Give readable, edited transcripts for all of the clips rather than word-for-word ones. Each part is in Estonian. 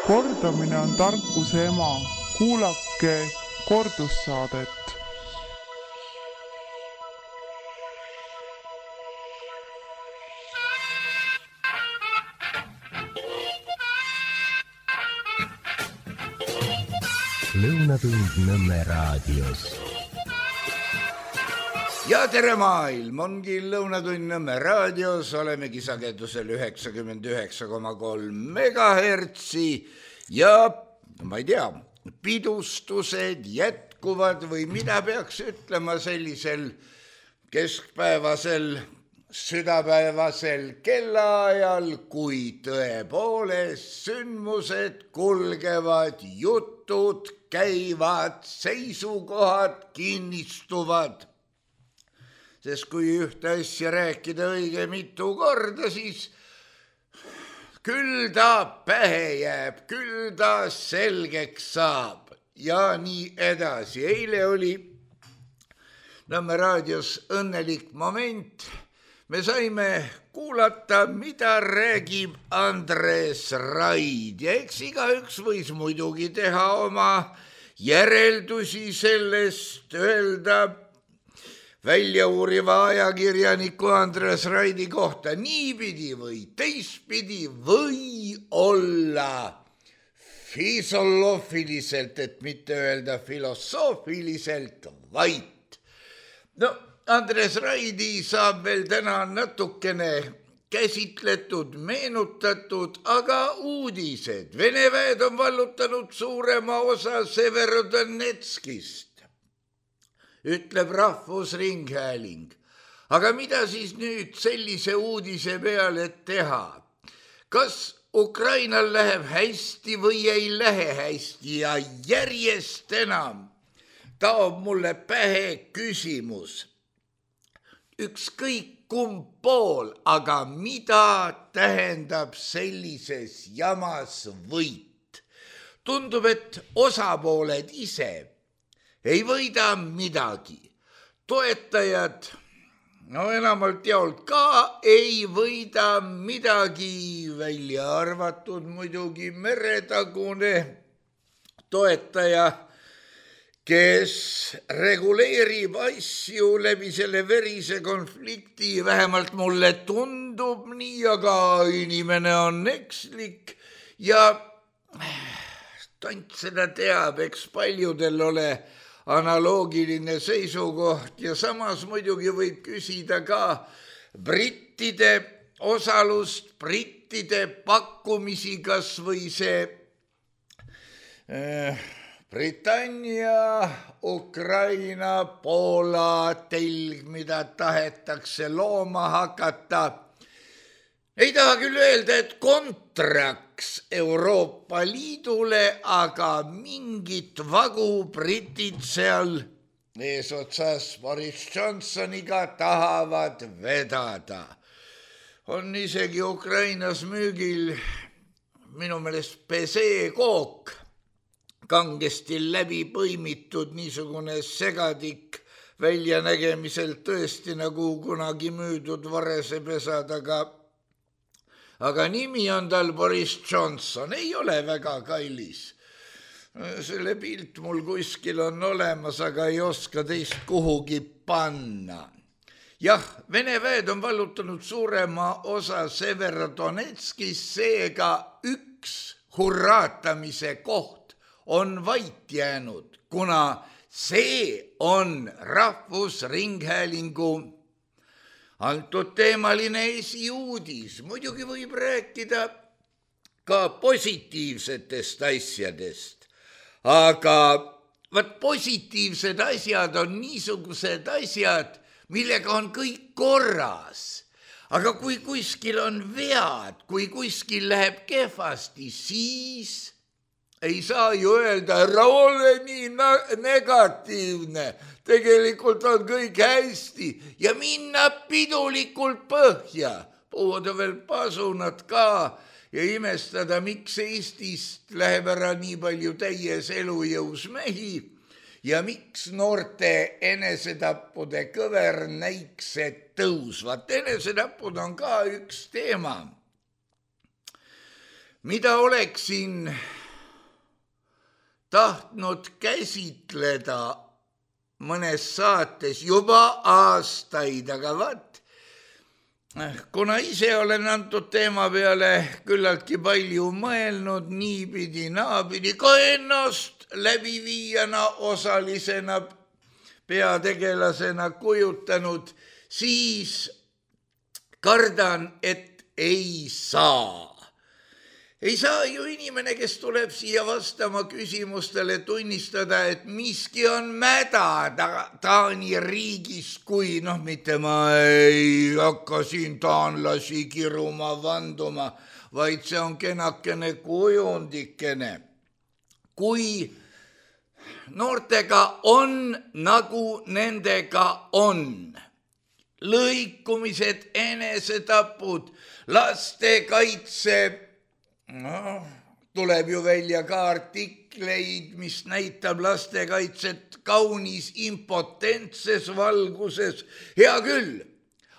Kordamine on tarkuse ema, kuulake kordussaadet. Lõunatund Nõmme raadios. Ja tere maailm, ongi Lõunatund Nõmme raadios, olemegi sagedusel 99,3 megahertsi ja ma ei tea, pidustused jätkuvad või mida peaks ütlema sellisel keskpäevasel, südapäevasel kellaajal, kui tõepoolest sündmused kulgevad, jutud käivad, seisukohad kinnistuvad. Sest kui ühte asja rääkida õige mitu korda, siis küll ta pähe jääb, küll ta selgeks saab ja nii edasi. Eile oli Nõmme raadios õnnelik moment. Me saime kuulata, mida räägib Andres Raid ja eks igaüks võis muidugi teha oma järeldusi sellest, öelda väljauuriva ajakirjaniku Andres Raidi kohta niipidi või teistpidi või olla filosoofiliselt, et mitte öelda filosoofiliselt vait. No, Andres Raidi saab veel täna natukene käsitletud, meenutatud, aga uudised. Vene väed on vallutanud suurema osa Severodonetskist, ütleb Rahvusringhääling. Aga mida siis nüüd sellise uudise peale teha? Kas Ukrainal läheb hästi või ei lähe hästi ja järjest enam taob mulle pähe küsimus. Ükskõik kumb pool, aga mida tähendab sellises jamas võit? Tundub, et osapooled ise ei võida midagi. Toetajad, no enamalt jaolt ka ei võida midagi, välja arvatud muidugi meretagune toetaja, kes reguleerib asju läbi selle verise konflikti, vähemalt mulle tundub nii, aga inimene on ekslik ja tant seda teab, eks paljudel ole analoogiline seisukoht ja samas muidugi võib küsida ka brittide osalust, brittide pakkumisi, kas või see Britannia, Ukraina, Poola telg, mida tahetakse looma hakata. Ei taha küll öelda, et kontraks Euroopa Liidule, aga mingit vagu britid seal eesotsas Boris Johnsoniga tahavad vedada. On isegi Ukrainas müügil minu meelest peseekook, kangesti läbi põimitud niisugune segadik väljanägemiselt tõesti nagu kunagi müüdud varesepesad, aga nimi on tal Boris Johnson, ei ole väga kallis. Selle pilt mul kuskil on olemas, aga ei oska teist kuhugi panna. Jah, Vene väed on vallutanud suurema osa Severodonetskist, seega üks hurraatamise koht on vait jäänud, kuna see on Rahvusringhäälingu antud teemaline esiuudis. Muidugi võib rääkida ka positiivsetest asjadest, aga positiivsed asjad on niisugused asjad, millega on kõik korras. Aga kui kuskil on vead, kui kuskil läheb kehvasti, siis ei saa ju öelda, ära ole nii negatiivne, tegelikult on kõik hästi ja minna pidulikult põhja, puhuda veel pasunad ka ja imestada, miks Eestist läheb ära nii palju täies elujõus mehi ja miks noorte enesetappude kõver näiksed tõusvad. Enesetappud on ka üks teema, mida oleksin tahtnud käsitleda mõnes saates juba aastaid, aga vaat, kuna ise olen antud teema peale küllaltki palju mõelnud, niipidi, naapidi, ka ennast läbiviijana, osalisena, peategelasena kujutanud, siis kardan, et ei saa. Ei saa ju inimene, kes tuleb siia vastama küsimustele, tunnistada, et miski on mäda Taani riigis, kui mitte ma ei hakka siin taanlasi kiruma, vanduma, vaid see on kenakene kujundikene. Kui noortega on, nagu nendega on, lõikumised, enesetapud, lastekaitse, tuleb ju välja ka artikleid, mis näitab lastekaitset kaunis impotentses valguses. Hea küll,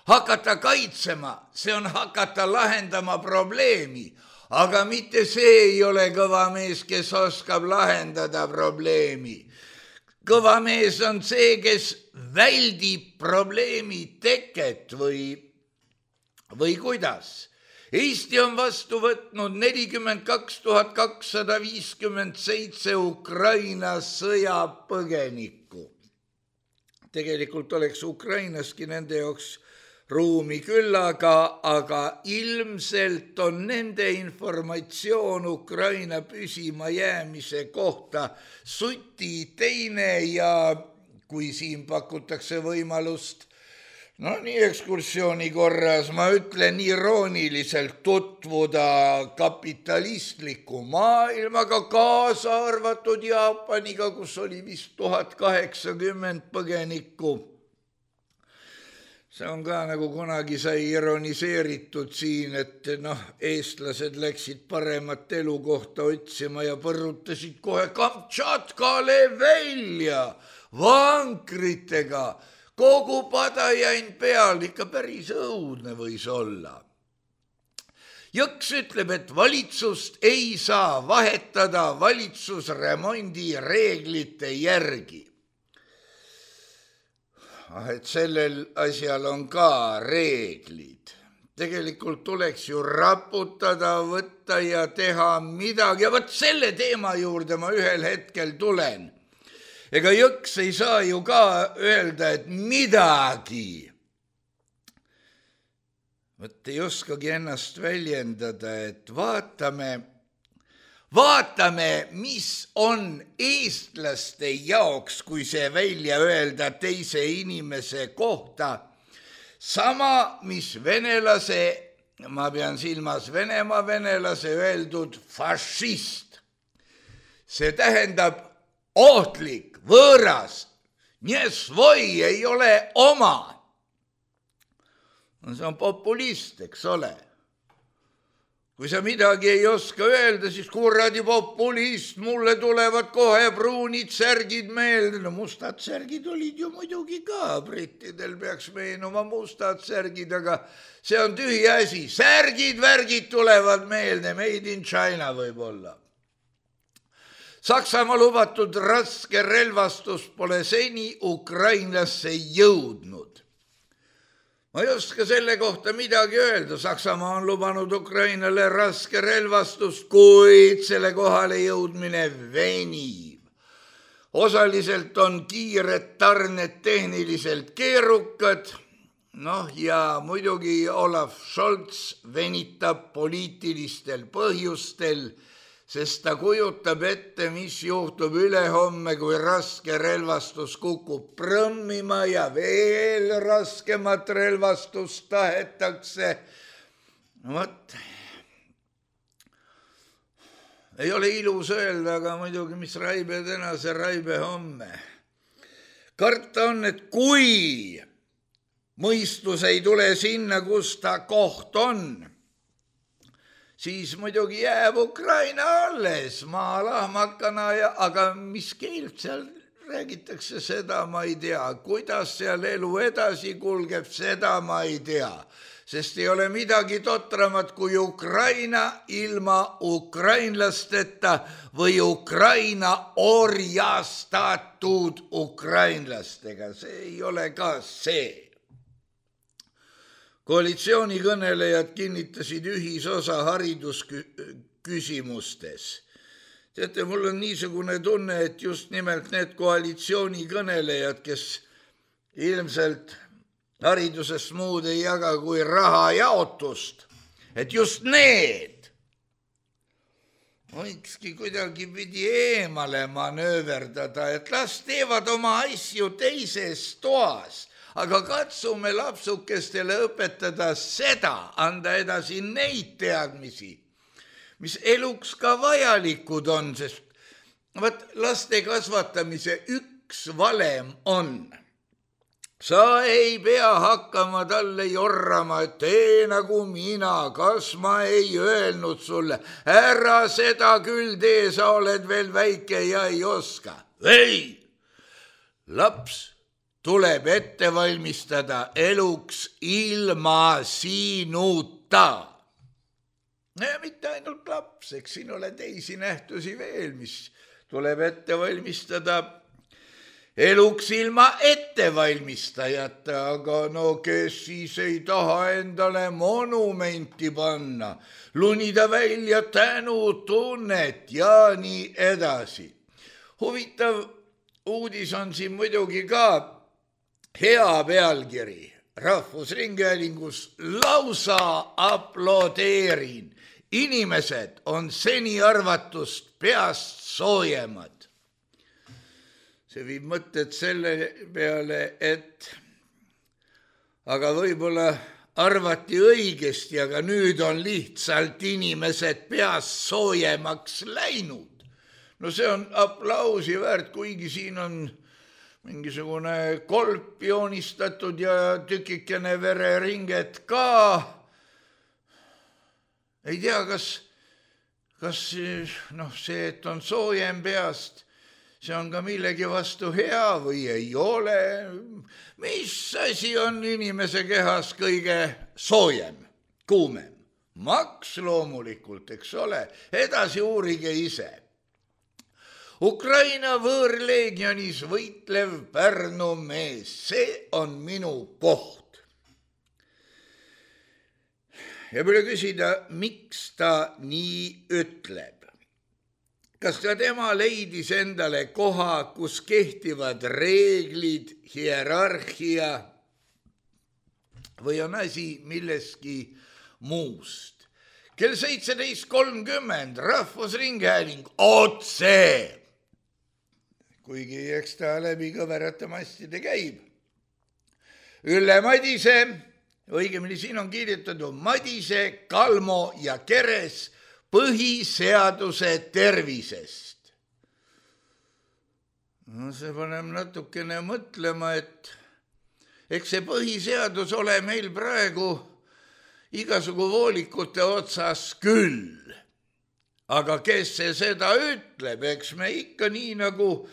hakata kaitsema, see on hakata lahendama probleemi, aga mitte see ei ole kõva mees, kes oskab lahendada probleemi. Kõva mees on see, kes väldib probleemi teket või kuidas. Eesti on vastu võtnud 42 257 Ukraina sõjapõgenikku. Tegelikult oleks Ukrainaski nende jaoks ruumi küll, aga ilmselt on nende informatsioon Ukraina püsima jäämise kohta suti teine ja kui siin pakutakse võimalust nii ekskursiooni korras, ma ütlen irooniliselt, tutvuda kapitalistliku maailmaga, kaasa arvatud Jaapaniga, kus oli vist 1080 põgenikku. See on ka nagu kunagi sai ironiseeritud siin, et eestlased läksid paremat elukohta otsima ja põrutasid kohe Kamtšatkale välja vankritega. Kogu padajain peal, ikka päris õudne võis olla. Jõks ütleb, et valitsust ei saa vahetada valitsusremondi reeglite järgi. Et sellel asjal on ka reeglid. Tegelikult tuleks ju raputada, võtta ja teha midagi. Ja võt selle teema juurde ma ühel hetkel tulen. Ega Jõks ei saa ju ka öelda, et midagi. Võt ei oskagi ennast väljendada, et vaatame, mis on eestlaste jaoks, kui see välja öelda teise inimese kohta. Sama, mis venelase, ma pean silmas Venemaa venelase öeldud fašist. See tähendab ohtlik, võõras, nie svoi, ei ole oma. See on populist, eks ole. Kui sa midagi ei oska öelda, siis kuradi populist, mulle tulevad kohe pruunid särgid meelde. Mustad särgid olid ju muidugi ka, brittidel peaks meenuma mustad särgid, aga see on tühi asi. Särgid, värgid tulevad meelde, made in China võib-olla. Saksamaa lubatud raske relvastus pole seni Ukrainasse jõudnud. Ma ei oska selle kohta midagi öelda. Saksamaa on lubanud Ukrainale raske relvastust, kuid selle kohale jõudmine venib. Osaliselt on kiired tarned tehniliselt keerukad. Ja muidugi Olaf Scholz venitab poliitilistel põhjustel, sest ta kujutab ette, mis juhtub ülehomme, kui raske relvastus kukub prõmmima ja veel raskemat relvastust tahetakse. Ei ole ilus öelda, aga muidugi, mis raibe täna, see raibe homme. Karta on, et kui mõistus ei tule sinna, kus ta koht on, siis muidugi jääb Ukraina alles maalahmakana, aga mis keelt seal räägitakse, seda ma ei tea. Kuidas seal elu edasi kulgeb, seda ma ei tea. sest ei ole midagi totramat kui Ukraina ilma ukrainlasteta või Ukraina orjastatud ukrainlastega. See ei ole ka see. Koalitsioonikõnelejad kinnitasid ühisosa haridusküsimustes. Teate, mul on niisugune tunne, et just nimelt need koalitsioonikõnelejad, kes ilmselt haridusest muud ei jaga kui raha jaotust, et just need võikski kuidagi pidi eemale manööverdada, et las teevad oma asju teises toas, aga katsume lapsukestele õpetada seda, anda edasi neid teadmisi, mis eluks ka vajalikud on, sest laste kasvatamise üks valem on. Sa ei pea hakkama talle jorrama, et tee nagu mina, kas ma ei öelnud sulle, ära seda küll tee, sa oled veel väike ja ei oska. Ei, laps tuleb ette valmistada eluks ilma sinuta. Ja mitte ainult laps, eks siin ole teisi nähtusi veel, mis tuleb ette valmistada eluks ilma ettevalmistajata, aga no kes siis ei taha endale monumenti panna, lunida välja tänutunnet ja nii edasi. Huvitav uudis on siin muidugi ka hea pealkiri. Rahvusringhäälingus lausa aplodeerin. Inimesed on seni arvatust peast soojemad. See viib mõtted selle peale, et aga võib-olla arvati õigesti, aga nüüd on lihtsalt inimesed peast soojemaks läinud. No see on aplausi väärt, kuigi siin on mingisugune kolp joonistatud ja tükikene vereringet ka. Ei tea, kas see, et on soojem peast, see on ka millegi vastu hea või ei ole. Mis asi on inimese kehas kõige soojem, kuumem? Maks loomulikult, eks ole. Edasi uurige ise. Ukraina võõrleegionis võitlev Pärnu mees, see on minu koht. Ja pole küsida, miks ta nii ütleb. Kas ta tema leidis endale koha, kus kehtivad reeglid, hierarhia või on asi milleski muust? Kell 17.30 Rahvusringhääling otse, kuigi eks ta läbi kõverate mastide käib. Ülle Madise, õigemini siin on kirjutatud Madise, Kalmo ja Keres põhiseaduse tervisest. No see paneb natukene mõtlema, et eks see põhiseadus ole meil praegu igasugu voolikute otsas küll. Aga kes see seda ütleb, eks me ikka nii nagu,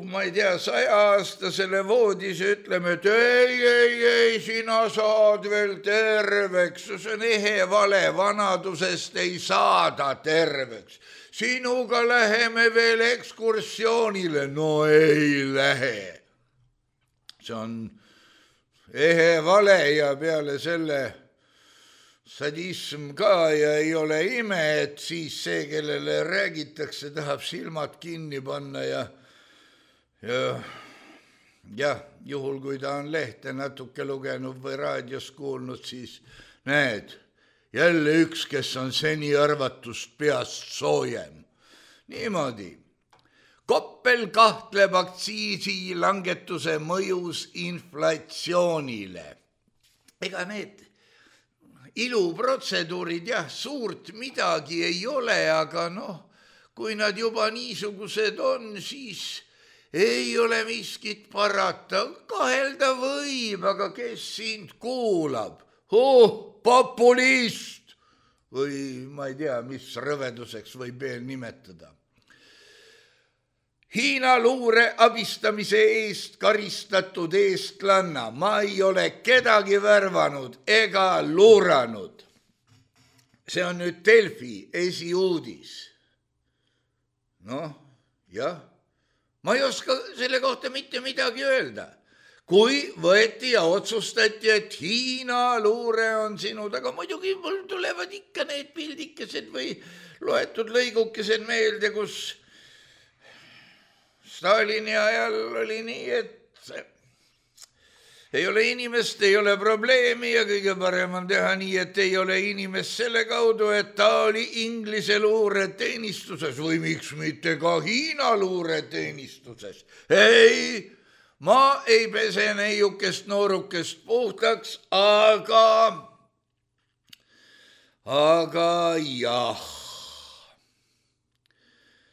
ma ei tea, 100-aastasele voodis ütleme, et ei, sina saad veel terveks, see on ehe vale, vanadusest ei saada terveks. Sinuga läheme veel ekskursioonile, no ei lähe. See on ehe vale ja peale selle sadism ka ja ei ole ime, et siis see, kellele räägitakse, tahab silmad kinni panna ja juhul, kui ta on lehte natuke lugenud või raadios kuulnud, siis näed, jälle üks, kes on seni arvatust peast soojem. Niimoodi. Koppel kahtleb aktsiisi langetuse mõjus inflatsioonile. Ega need iluprotseduurid suurt midagi ei ole, aga kui nad juba niisugused on, siis ei ole miskit parata. Kahelda võib, aga kes sind kuulab? Populist! Või ma ei tea, mis rõveduseks võib veel nimetada. Hiina luure abistamise eest karistatud eestlanna. Ma ei ole kedagi värvanud ega luuranud. See on nüüd Delfi esiuudis. Noh, jah. Ma ei oska selle kohta mitte midagi öelda. Kui võeti ja otsustati, et Hiina luure on sinu taga, muidugi mul tulevad ikka need pildikesed või loetud lõigukesed meelde, kus Stalini ajal oli nii, et ei ole inimest, ei ole probleemi ja kõige parem on teha nii, et ei ole inimest selle kaudu, et ta oli Inglise luureteenistuses või miks mitte ka Hiina luureteenistuses. Ei, ma ei pese neiukest noorukest puhtaks, aga jah.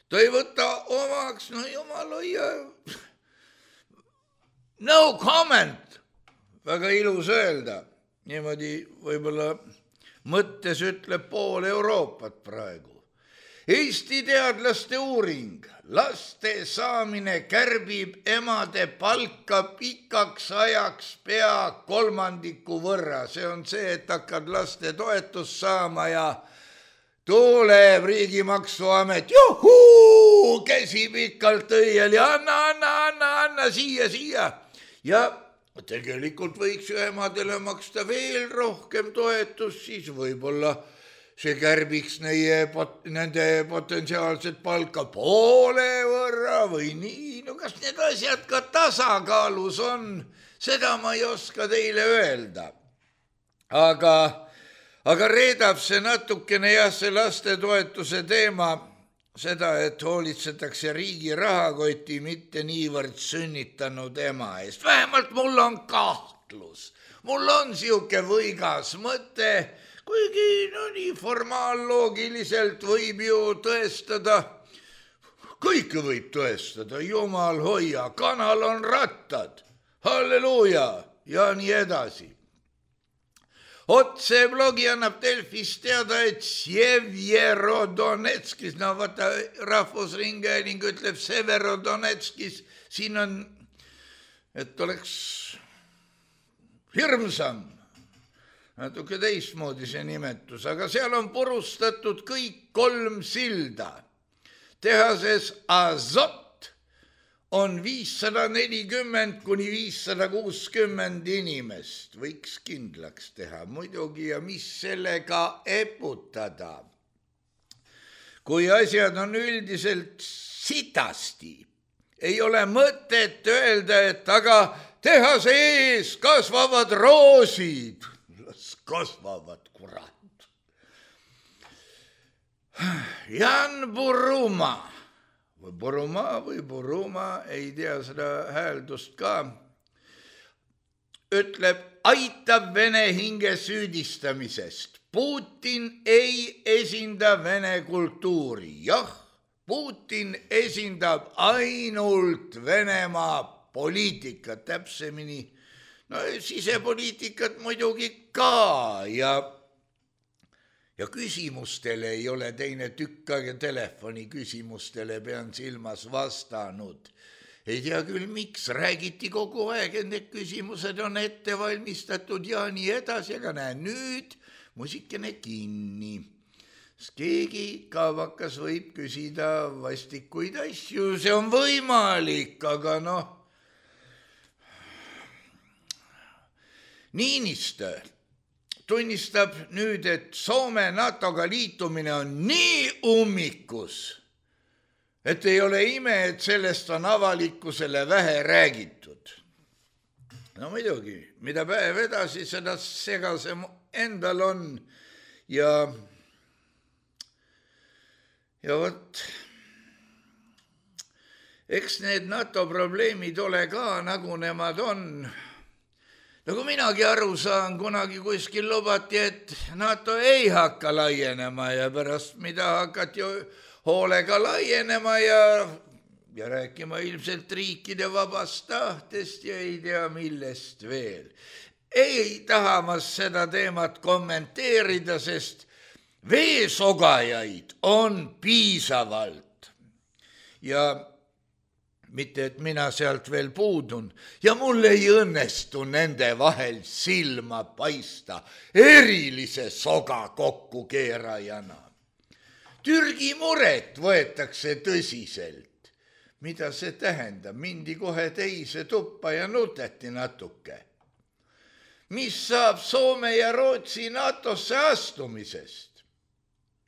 Ta ei võta omaks, no jumal hoia. No comment, väga ilus öelda. Niimoodi võib-olla mõttes ütleb pool Euroopat praegu. Eesti teadlaste uuring. Laste saamine kärbib emade palka pikaks ajaks pea 3% võrra. See on see, et hakkad laste toetust saama ja tuleb riigimaksuamet, juhuu, käsi pikalt õiel ja anna siia. Ja tegelikult võiks ju emadele maksta veel rohkem toetust, siis võib-olla see kärbiks nende potentsiaalset palka poole võrra või nii. No kas need asjad ka tasakaalus on, seda ma ei oska teile öelda. Aga reedab see natukene see lastetoetuse teema seda, et hoolitsetakse riigi rahakoti, mitte niivõrd sünnitanud ema eest. Vähemalt mul on kahtlus. Mul on siuke võigas mõte, kuigi nii formaalloogiliselt võib ju tõestada, kõike võib tõestada, jumal hoia, kanal on rattad, halleluuja ja nii edasi. Otse blogi annab Delfis teada, et Severodonetskis, no vaata Rahvusringhääling ütleb Severodonetskis, siin on, et oleks hirmsam, natuke teistmoodi see nimetus, aga seal on purustatud kõik 3 silda. Tehases Azot on 540 kuni 560 inimest, võiks kindlaks teha muidugi ja mis sellega eputada. Kui asjad on üldiselt sitasti, ei ole mõtet öelda, et aga tehase ees kasvavad roosid. Las kasvavad, kurat. Jan Buruma. või Buruma, ei tea seda hääldust ka, ütleb, aitab Vene hinge süüdistamisest. Putin ei esinda Vene kultuuri. Jah, Putin esindab ainult Venemaa poliitikat, täpsemini, no sisepoliitikat muidugi ka ja küsimustele ei ole teine tükk aega telefoni küsimustele pean silmas vastanud. Ei tea küll, miks räägiti kogu aeg, et need küsimused on ette valmistatud ja nii edasi, aga näe nüüd musikene kinni. Keegi kaavakas võib küsida vastikuid asju, see on võimalik, aga noh. Niinistö tunnistab nüüd, et Soome NATO-ga liitumine on nii ummikus, et ei ole ime, et sellest on avalikkusele vähe räägitud. No muidugi, mida päev edasi, seda segasem endal on ja vot, eks need NATO probleemid ole ka, nagu nemad on. Nagu minagi aru saan, kunagi kuskil lubati, et NATO ei hakka laienema ja pärast mida hakati hoolega laienema ja rääkima ilmselt riikide vabast tahtest ja ei tea millest veel. Ei taha ma seda teemat kommenteerida, sest veesogajaid on piisavalt ja mitte et mina sealt veel puudun ja mul ei õnnestu nende vahel silma paista erilise soga kokkukeerajana. Türgi muret võetakse tõsiselt. Mida see tähendab? Mindi kohe teise tuppa ja nuteti natuke. Mis saab Soome ja Rootsi NATOsse astumisest?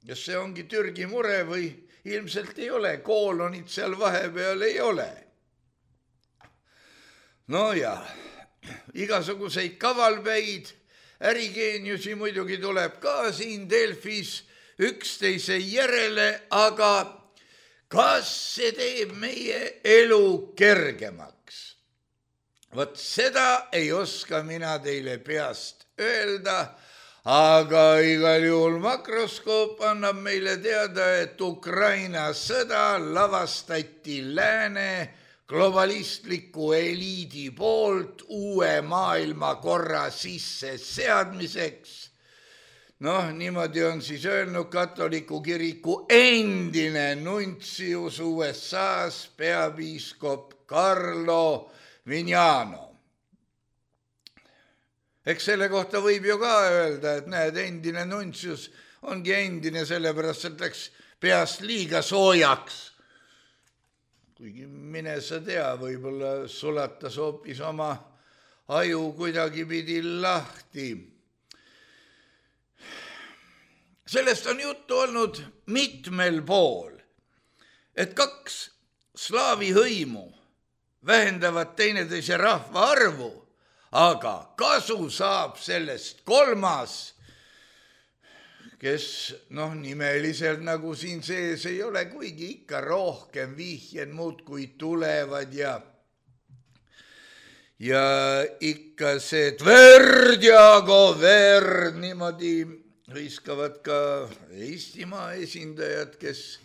Ja see ongi Türgi mure või ilmselt ei ole, koolonid seal vahepeal ei ole. No ja, igasuguseid kavalpäid, ärigeeniusi muidugi tuleb ka siin Delfis üksteise järele, aga kas see teeb meie elu kergemaks? Vot seda ei oska mina teile peast öelda, aga igal juhul makroskoop annab meile teada, et Ukraina sõda lavastati lääne globalistliku eliidi poolt uue maailmakorra sisse seadmiseks. Noh, niimoodi on siis öelnud katoliku kiriku endine nuntsius USA-s peapiiskop Carlo Vignano. Eks selle kohta võib ju ka öelda, et näed, endine nuntsius ongi endine, sellepärast et läks peast liiga soojaks. Kuigi mine sa tea, võib-olla sulatas hoopis oma aju kuidagi pidi lahti. Sellest on juttu olnud mitmel pool, et kaks slaavi hõimu vähendavad teineteise rahva arvu, aga kasu saab sellest kolmas, kes nimeliselt nagu siin sees ei ole, kuigi ikka rohkem vihjed muudkui tulevad ja ikka see Tverd ja Goverd niimoodi hõiskavad ka Eestimaa esindajad, kes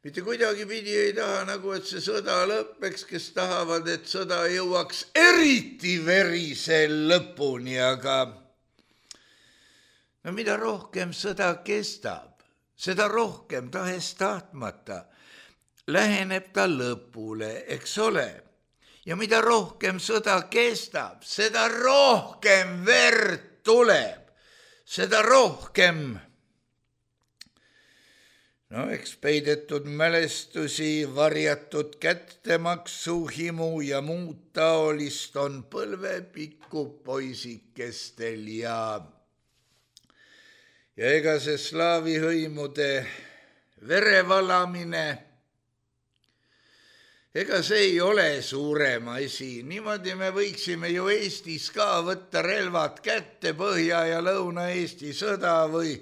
mitte kuidagi pidi ei taha nagu, et see sõda lõppeks, kes tahavad, et sõda jõuaks eriti verise lõpuni, aga no mida rohkem sõda kestab, seda rohkem tahes tahtmata läheneb ta lõpule, eks ole. Ja mida rohkem sõda kestab, seda rohkem verd tuleb, seda rohkem eks peidetud mälestusi, varjatud kättemaksu, himu ja muud taolist on põlvepikku poisikestel ja ega see slaavi hõimude verevalamine, ega see ei ole suurem asi. Niimoodi me võiksime ju Eestis ka võtta relvad kätte Põhja- ja Lõuna-Eesti sõda või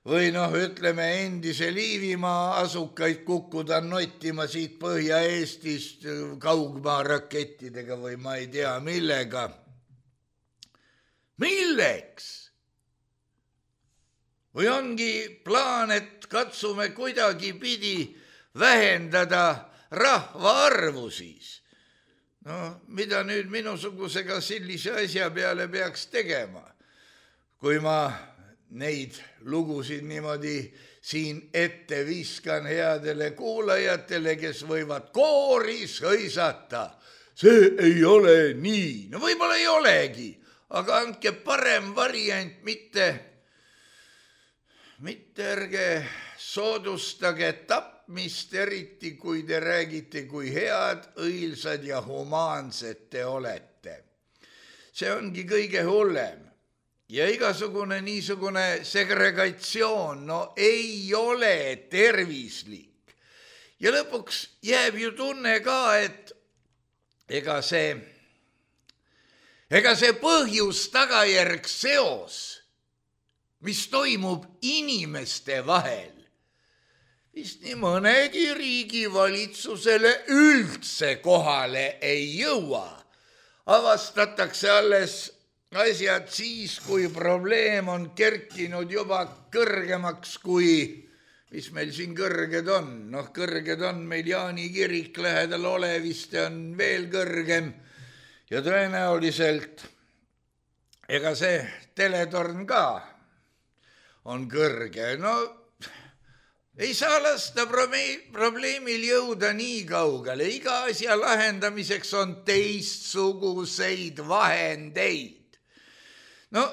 ütleme endise Liivimaa asukaid kukkuda nottima siit Põhja-Eestist kaugmaa rakettidega või ma ei tea millega. Milleks? Või ongi plaan, et katsume kuidagi pidi vähendada rahva arvu siis? Mida nüüd minusugusega sellise asja peale peaks tegema, kui ma neid lugusid niimoodi siin ette viskan headele kuulajatele, kes võivad kooris hõisata. See ei ole nii. No võib-olla ei olegi, aga andke parem variant, mitte ärge soodustage tapmist, eriti kui te räägite, kui head, õilsad ja humaansed te olete. See ongi kõige hullem. Ja igasugune niisugune segregatsioon, ei ole tervislik. Ja lõpuks jääb ju tunne ka, et ega see põhjus-tagajärg seos, mis toimub inimeste vahel, vist nii mõnegi riigi valitsusele üldse kohale ei jõua. Avastatakse alles asjad siis, kui probleem on kerkinud juba kõrgemaks kui, mis meil siin kõrged on. Kõrged on meil Jaani kirik lähedal Oleviste on veel kõrgem ja tõenäoliselt ega see teletorn ka on kõrge. ei saa lasta probleemil jõuda nii kaugele. Iga asja lahendamiseks on teistsuguseid vahendeid. No,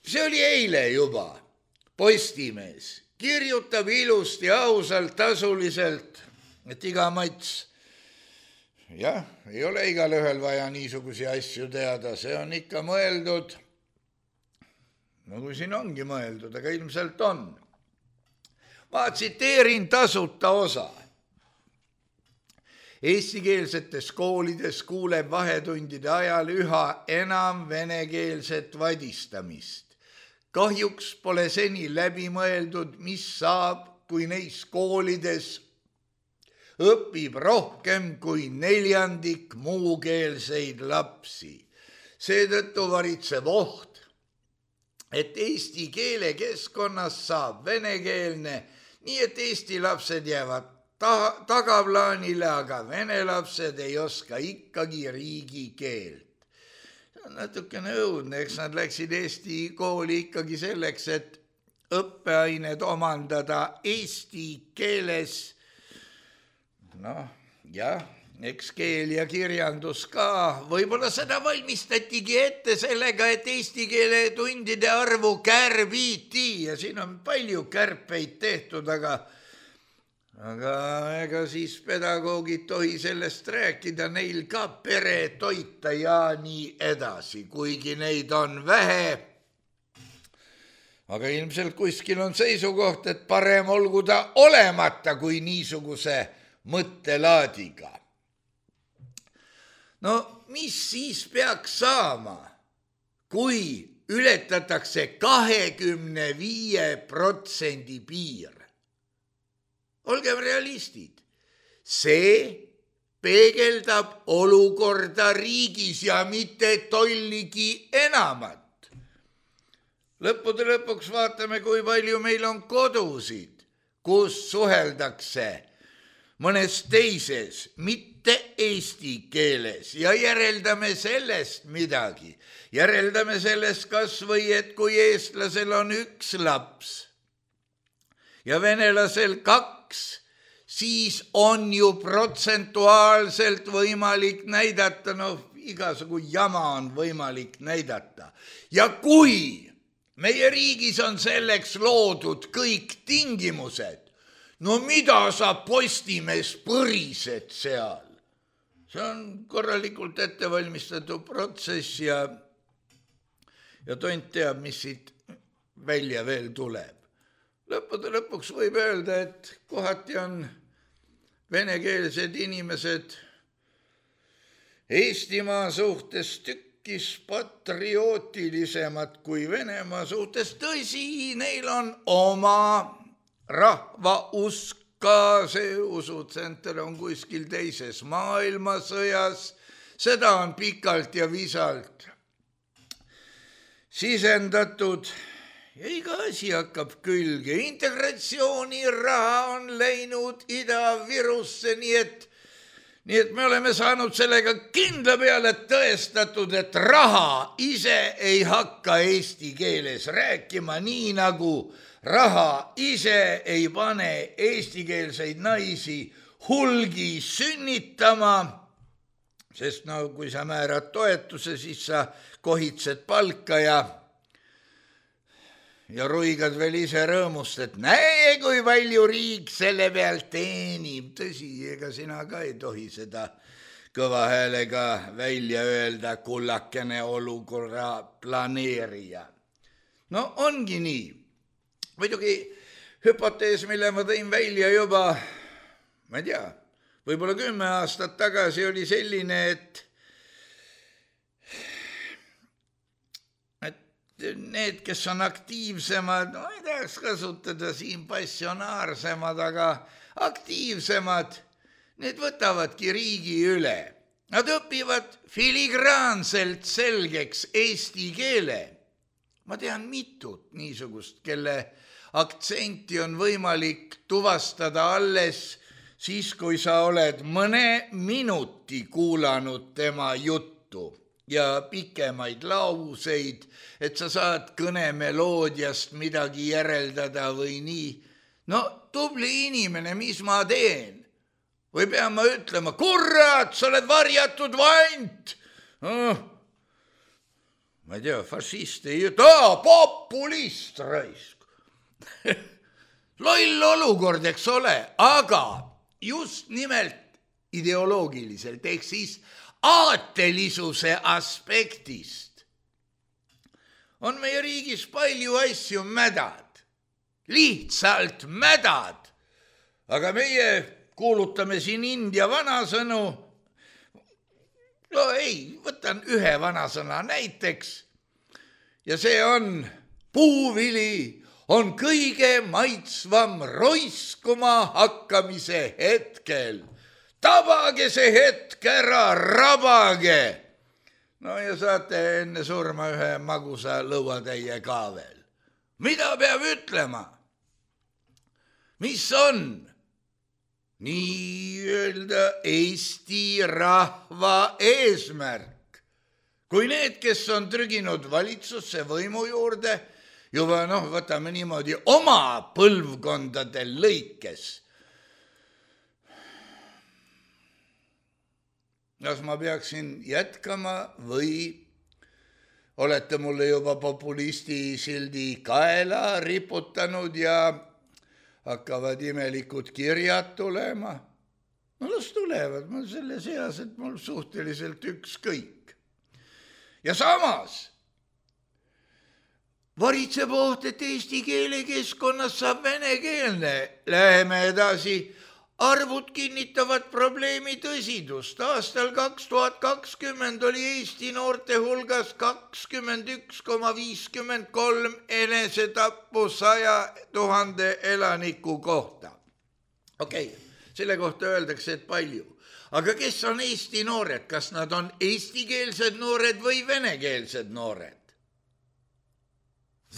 see oli eile juba. Postimees kirjutab ilusti, ausalt, tasuliselt, et iga mats, jah, ei ole igal ühel vaja niisugusi asju teada, see on ikka mõeldud, nagu siin ongi mõeldud, aga ilmselt on. Ma tsiteerin tasuta osa. Eestikeelsetes koolides kuuleb vahetundide ajal üha enam venekeelset vadistamist. Kahjuks pole seni läbi mõeldud, mis saab, kui neis koolides õpib rohkem kui 1/4 muukeelseid lapsi. Seetõttu varitseb oht, et eesti keele keskkonnas saab venekeelne, nii et eesti lapsed jäävad tagaplaanile, aga vene lapsed ei oska ikkagi riigikeelt. See on natukene õudne, eks nad läksid eesti kooli ikkagi selleks, et õppeained omandada eesti keeles. Noh, jah, eks keel ja kirjandus ka. Võib-olla seda valmistatigi ette sellega, et eesti keele tundide arvu kärbiti ja siin on palju kärpeid tehtud, aga ega siis pedagoogid tohi sellest rääkida, neil ka pere toita ja nii edasi, kuigi neid on vähe. Aga ilmselt kuskil on seisukoht, et parem olgu ta olemata kui niisuguse mõttelaadiga. No mis siis peaks saama, kui ületatakse 25% piir? Olgem realistid, see peegeldab olukorda riigis ja mitte tolligi enamat. Lõppude lõpuks vaatame, kui palju meil on kodusid, kus suheldakse mõnes teises, mitte eesti keeles ja järeldame sellest midagi. Järeldame sellest kas või, et kui eestlasel on 1 laps ja venelasel 2, siis on ju protsentuaalselt võimalik näidata, igasugu jama on võimalik näidata. Ja kui meie riigis on selleks loodud kõik tingimused, no mida sa Postimees põrised seal? See on korralikult ettevalmistatud protsess ja tont teab, mis siit välja veel tuleb. Lõppude lõpuks võib öelda, et kohati on venekeelsed inimesed Eestimaa suhtes tükkis patriootilisemad kui Venemaa suhtes. Tõsi, neil on oma rahva usk ka, see usutsenter on kuskil teises maailmasõjas, seda on pikalt ja visalt sisendatud ja iga asi hakkab külge. Integratsiooniraha on läinud Ida-Virusse, nii et me oleme saanud sellega kindla peale tõestatud, et raha ise ei hakka eesti keeles rääkima, nii nagu raha ise ei pane eestikeelseid naisi hulgi sünnitama, sest kui sa määrad toetuse, siis sa kohitsed palka ja ruigad veel ise rõõmust, et näe, kui palju riik selle pealt teenib. Tõsi, ega sina ka ei tohi seda kõva häälega välja öelda, kullakene olukorra planeerija. No ongi nii. Muidugi hüpotees, mille ma tõin välja juba, ma ei tea, võib-olla 10 aastat tagasi oli selline, et need, kes on aktiivsemad, ma ei tahaks kasutada siin passionaarsemad, aga aktiivsemad, need võtavadki riigi üle. Nad õpivad filigraanselt selgeks eesti keele. Ma tean mitut niisugust, kelle aktsenti on võimalik tuvastada alles siis, kui sa oled mõne minuti kuulanud tema juttu ja pikemaid lauseid, et sa saad kõnemeloodiast midagi järeldada või nii. no tubli inimene, mis ma teen? Või pean ma ütlema, kurat, sa oled varjatud vant. Ma ei tea, fašist ei ütle, populist raisk. Loll olukord, eks ole, aga just nimelt ideoloogiliselt, ehk siis aatelisuse aspektist on meie riigis palju asju mädad, lihtsalt mädad, aga meie kuulutame siin India vanasõnu. No ei, võtan ühe vanasõna näiteks ja see on puuvili on kõige maitsvam roiskuma hakkamise hetkel. Tabage see hetk ära, rabage. No ja saate enne surma ühe magusa lõuatäie ka veel. Mida peab ütlema? Mis on nii-öelda Eesti rahva eesmärk? Kui need, kes on trüginud valitsusse võimu juurde, juba võtame niimoodi oma põlvkondade lõikes. Kas ma peaksin jätkama või olete mulle juba populisti sildi kaela riputanud ja hakkavad imelikud kirjad tulema? No las tulevad, ma selle seas, et mul suhteliselt ükskõik. Ja samas varitseb oht, et eesti keele keskkonnas saab venekeelne. Läheme edasi. Arvud kinnitavad probleemi tõsidust. Aastal 2020 oli Eesti noorte hulgas 21,53 enesetappu 100 000 elaniku kohta. Okei, selle kohta öeldakse, et palju. Aga kes on Eesti noored? Kas nad on eestikeelsed noored või venekeelsed noored?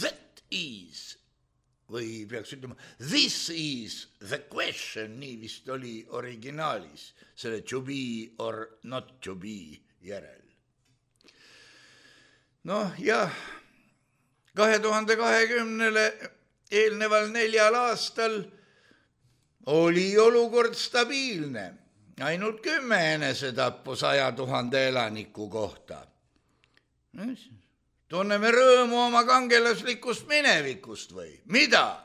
That is, või peaks ütlema, this is the question, nii vist oli originaalis, selle to be or not to be järel. Ja 2020 eelneval 4 aastal oli olukord stabiilne, ainult 10 enesetappu 100 000 elaniku kohta. Tunneme rõõmu oma kangelaslikust minevikust või? Mida?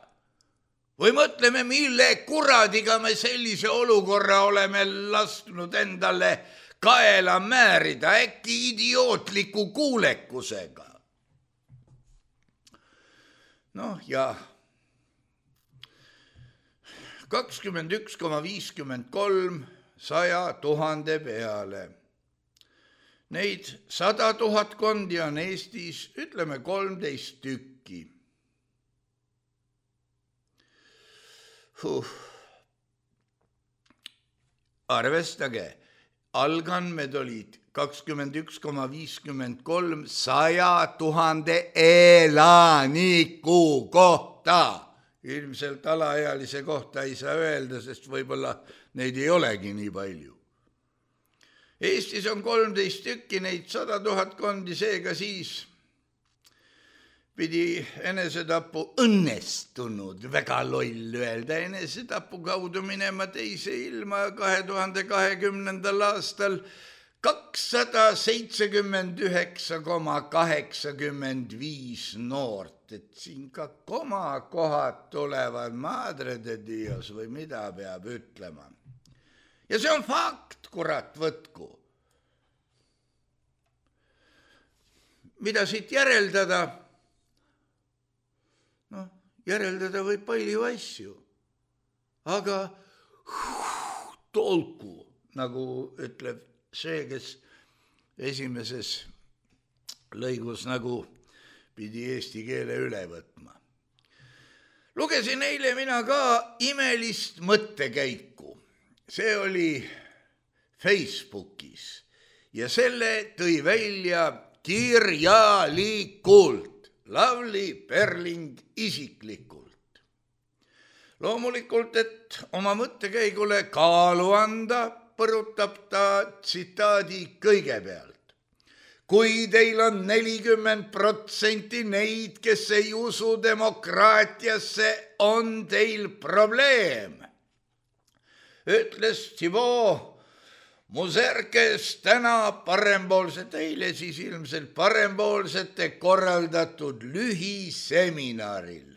Või mõtleme, mille kuradiga me sellise olukorra oleme lasknud endale kaela määrida, äkki idiootliku kuulekusega? Ja 21,53 100 000 peale. Neid 100 000 kondi on Eestis, ütleme 13 tükki. Arvestage, algandmed olid 21,53 100 000 elaniku kohta. Ilmselt alaealise kohta ei saa öelda, sest võib-olla neid ei olegi nii palju. Eestis on 13 tükki, neid 100 000 kondi, seega siis pidi enesetapu õnnestunud, väga loll öelda, enesetapu kaudu minema teise ilma 2020. aastal 279,85 noort, et siin ka komakohad tulevad, madre de Dios või mida peab ütlema. Ja see on fakt, kurat, võtku. Mida siit järeldada? Järeldada võib palju asju, aga tolku, nagu ütleb see, kes esimeses lõigus nagu pidi eesti keele üle võtma. Lugesin eile mina ka imelist mõttekäiku. See oli Facebookis ja selle tõi välja kirjalikult Lavly Perling isiklikult. Loomulikult, et oma mõttekäigule kaalu anda, põrutab ta tsitaadi kõigepealt. kui teil on 40% neid, kes ei usu demokraatiasse, on teil probleem, ütles Thibaut Muserkes täna parempoolsete, eile siis ilmselt parempoolsete korraldatud lühiseminaril.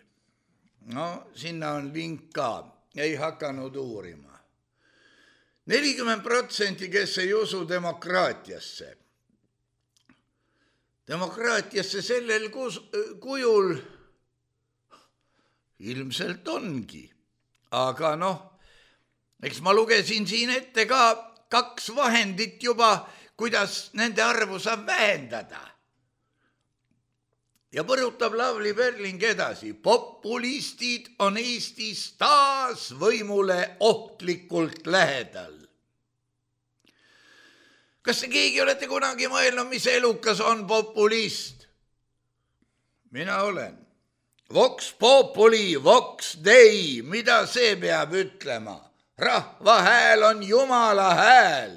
No sinna on link ka, ei hakanud uurima. 40%, kes ei usu demokraatiasse. Demokraatiasse sellel kujul ilmselt ongi. Aga eks ma lugesin siin ette ka 2 vahendit juba, kuidas nende arvu saab vähendada. Ja põrutab Lavly Perling edasi. Populistid on Eestis taas võimule ohtlikult lähedal. Kas te keegi olete kunagi mõelnud, mis elukas on populist? Mina olen. Vox populi, vox dei, mida see peab ütlema? Rahva hääl on Jumala hääl.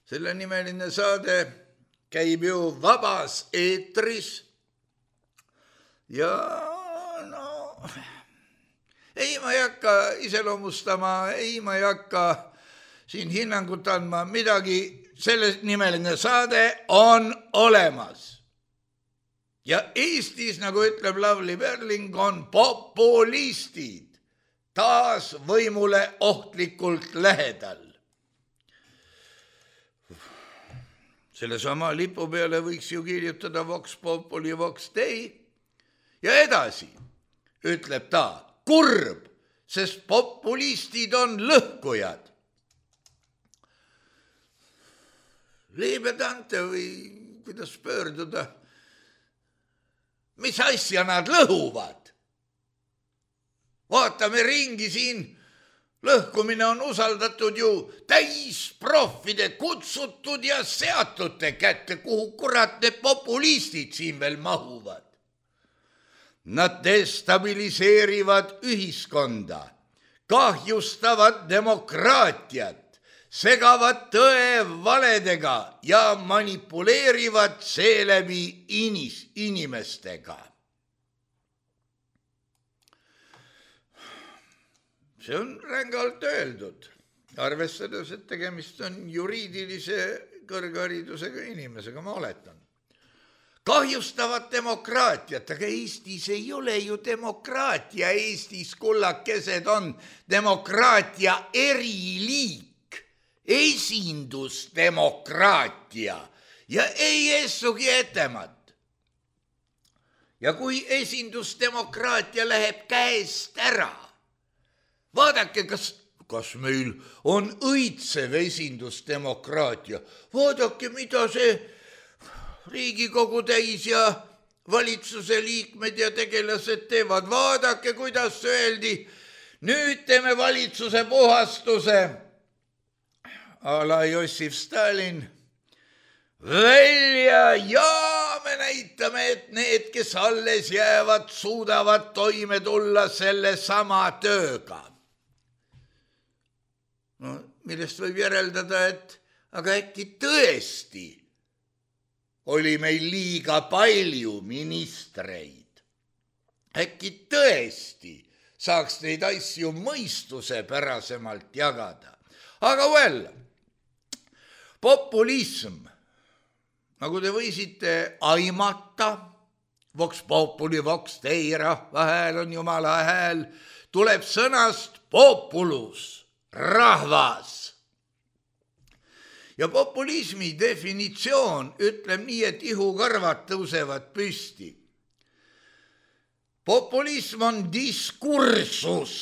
Selle nimeline saade käib ju vabas eetris. Ja ei ma ei hakka iseloomustama, ei ma ei hakka siin hinnangut andma midagi. Selle nimeline saade on olemas. Ja Eestis, nagu ütleb Lavly Perling, on populistid taas võimule ohtlikult lähedal. Selle sama lipu peale võiks ju kirjutada Vox populi, vox dei. Ja edasi ütleb ta, kurb, sest populistid on lõhkujad. Liibedante või kuidas pöörduda? Mis asja nad lõhuvad? Vaatame ringi siin, lõhkumine on usaldatud ju täisproffide, kutsutud ja seatute kätte, kuhu kurat need populistid siin veel mahuvad. Nad destabiliseerivad ühiskonda, kahjustavad demokraatiat, segavad tõe valedega ja manipuleerivad seeläbi inimestega. See on rängalt öeldud, arvestades, et tegemist on juriidilise kõrgharidusega inimesega, ma oletan. Kahjustavad demokraatiat, aga Eestis ei ole ju demokraatia. Eestis kullakesed on demokraatia eriliik, esindusdemokraatia ja ei essugi etemat. Ja kui esindusdemokraatia läheb käest ära, vaadake, kas meil on õitsev esindusdemokraatia. Vaadake, mida see Riigikogu täis ja valitsuse liikmed ja tegelased teevad. Vaadake, kuidas öeldi, nüüd teeme valitsuse puhastuse. A la Jossif Stalin välja ja me näitame, et need, kes alles jäävad, suudavad toime tulla selle sama tööga. Millest võib järeldada, et aga äkki tõesti oli meil liiga palju ministreid. Äkki tõesti saaks neid asju mõistuse pärasemalt jagada. Aga populism, nagu te võisite aimata, vox populi, vox dei, rahva hääl on Jumala hääl, tuleb sõnast populus, rahvas. Ja populismi definitsioon ütleb nii, et ihukarvad tõusevad püsti. Populism on diskursus,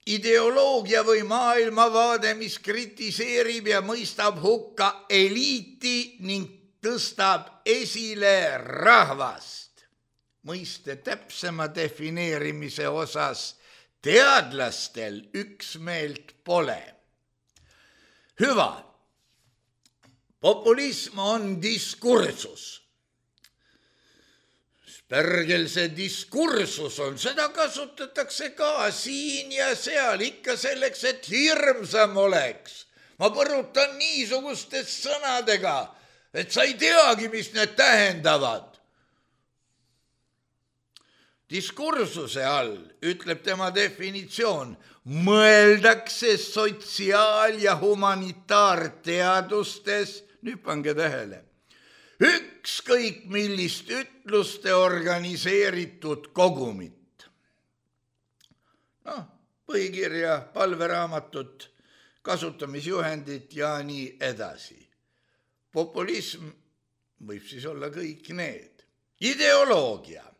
ideoloogia või maailmavaade, mis kritiseerib ja mõistab hukka eliiti ning tõstab esile rahvast. Mõiste täpsema defineerimise osas teadlastel üksmeelt pole. Hüva, populism on diskursus. Spergel see diskursus on, seda kasutatakse ka siin ja seal ikka selleks, et hirmsam oleks. Ma põrutan niisugustest sõnadega. et sa ei teagi, mis need tähendavad. Diskursuse all, ütleb tema definitsioon, mõeldakse sotsiaal- ja humanitaarteadustes, nüüd pange tähele, ükskõik millist ütluste organiseeritud kogumit. Põhikirja, palveraamatut, kasutamisjuhendit ja nii edasi. Populism võib siis olla kõik need. Ideoloogia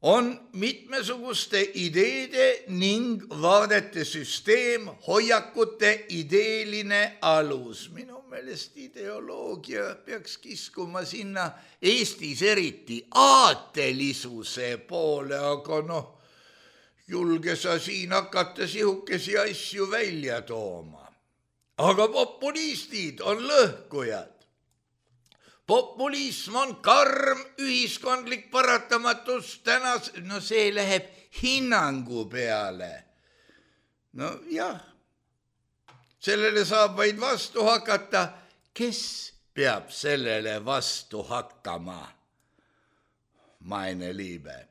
on mitmesuguste ideede ning vaadete süsteem, hoiakute ideeline alus. Minu meelest ideoloogia peaks kiskuma sinna Eestis eriti aatelisuse poole, aga julge sa siin hakata sihukesi asju välja tooma. Aga populistid on lõhkujad. Populism on karm ühiskondlik paratamatus tänas, see läheb hinnangu peale. Jah, sellele saab vaid vastu hakata. Kes peab sellele vastu hakkama? Meine Liebe.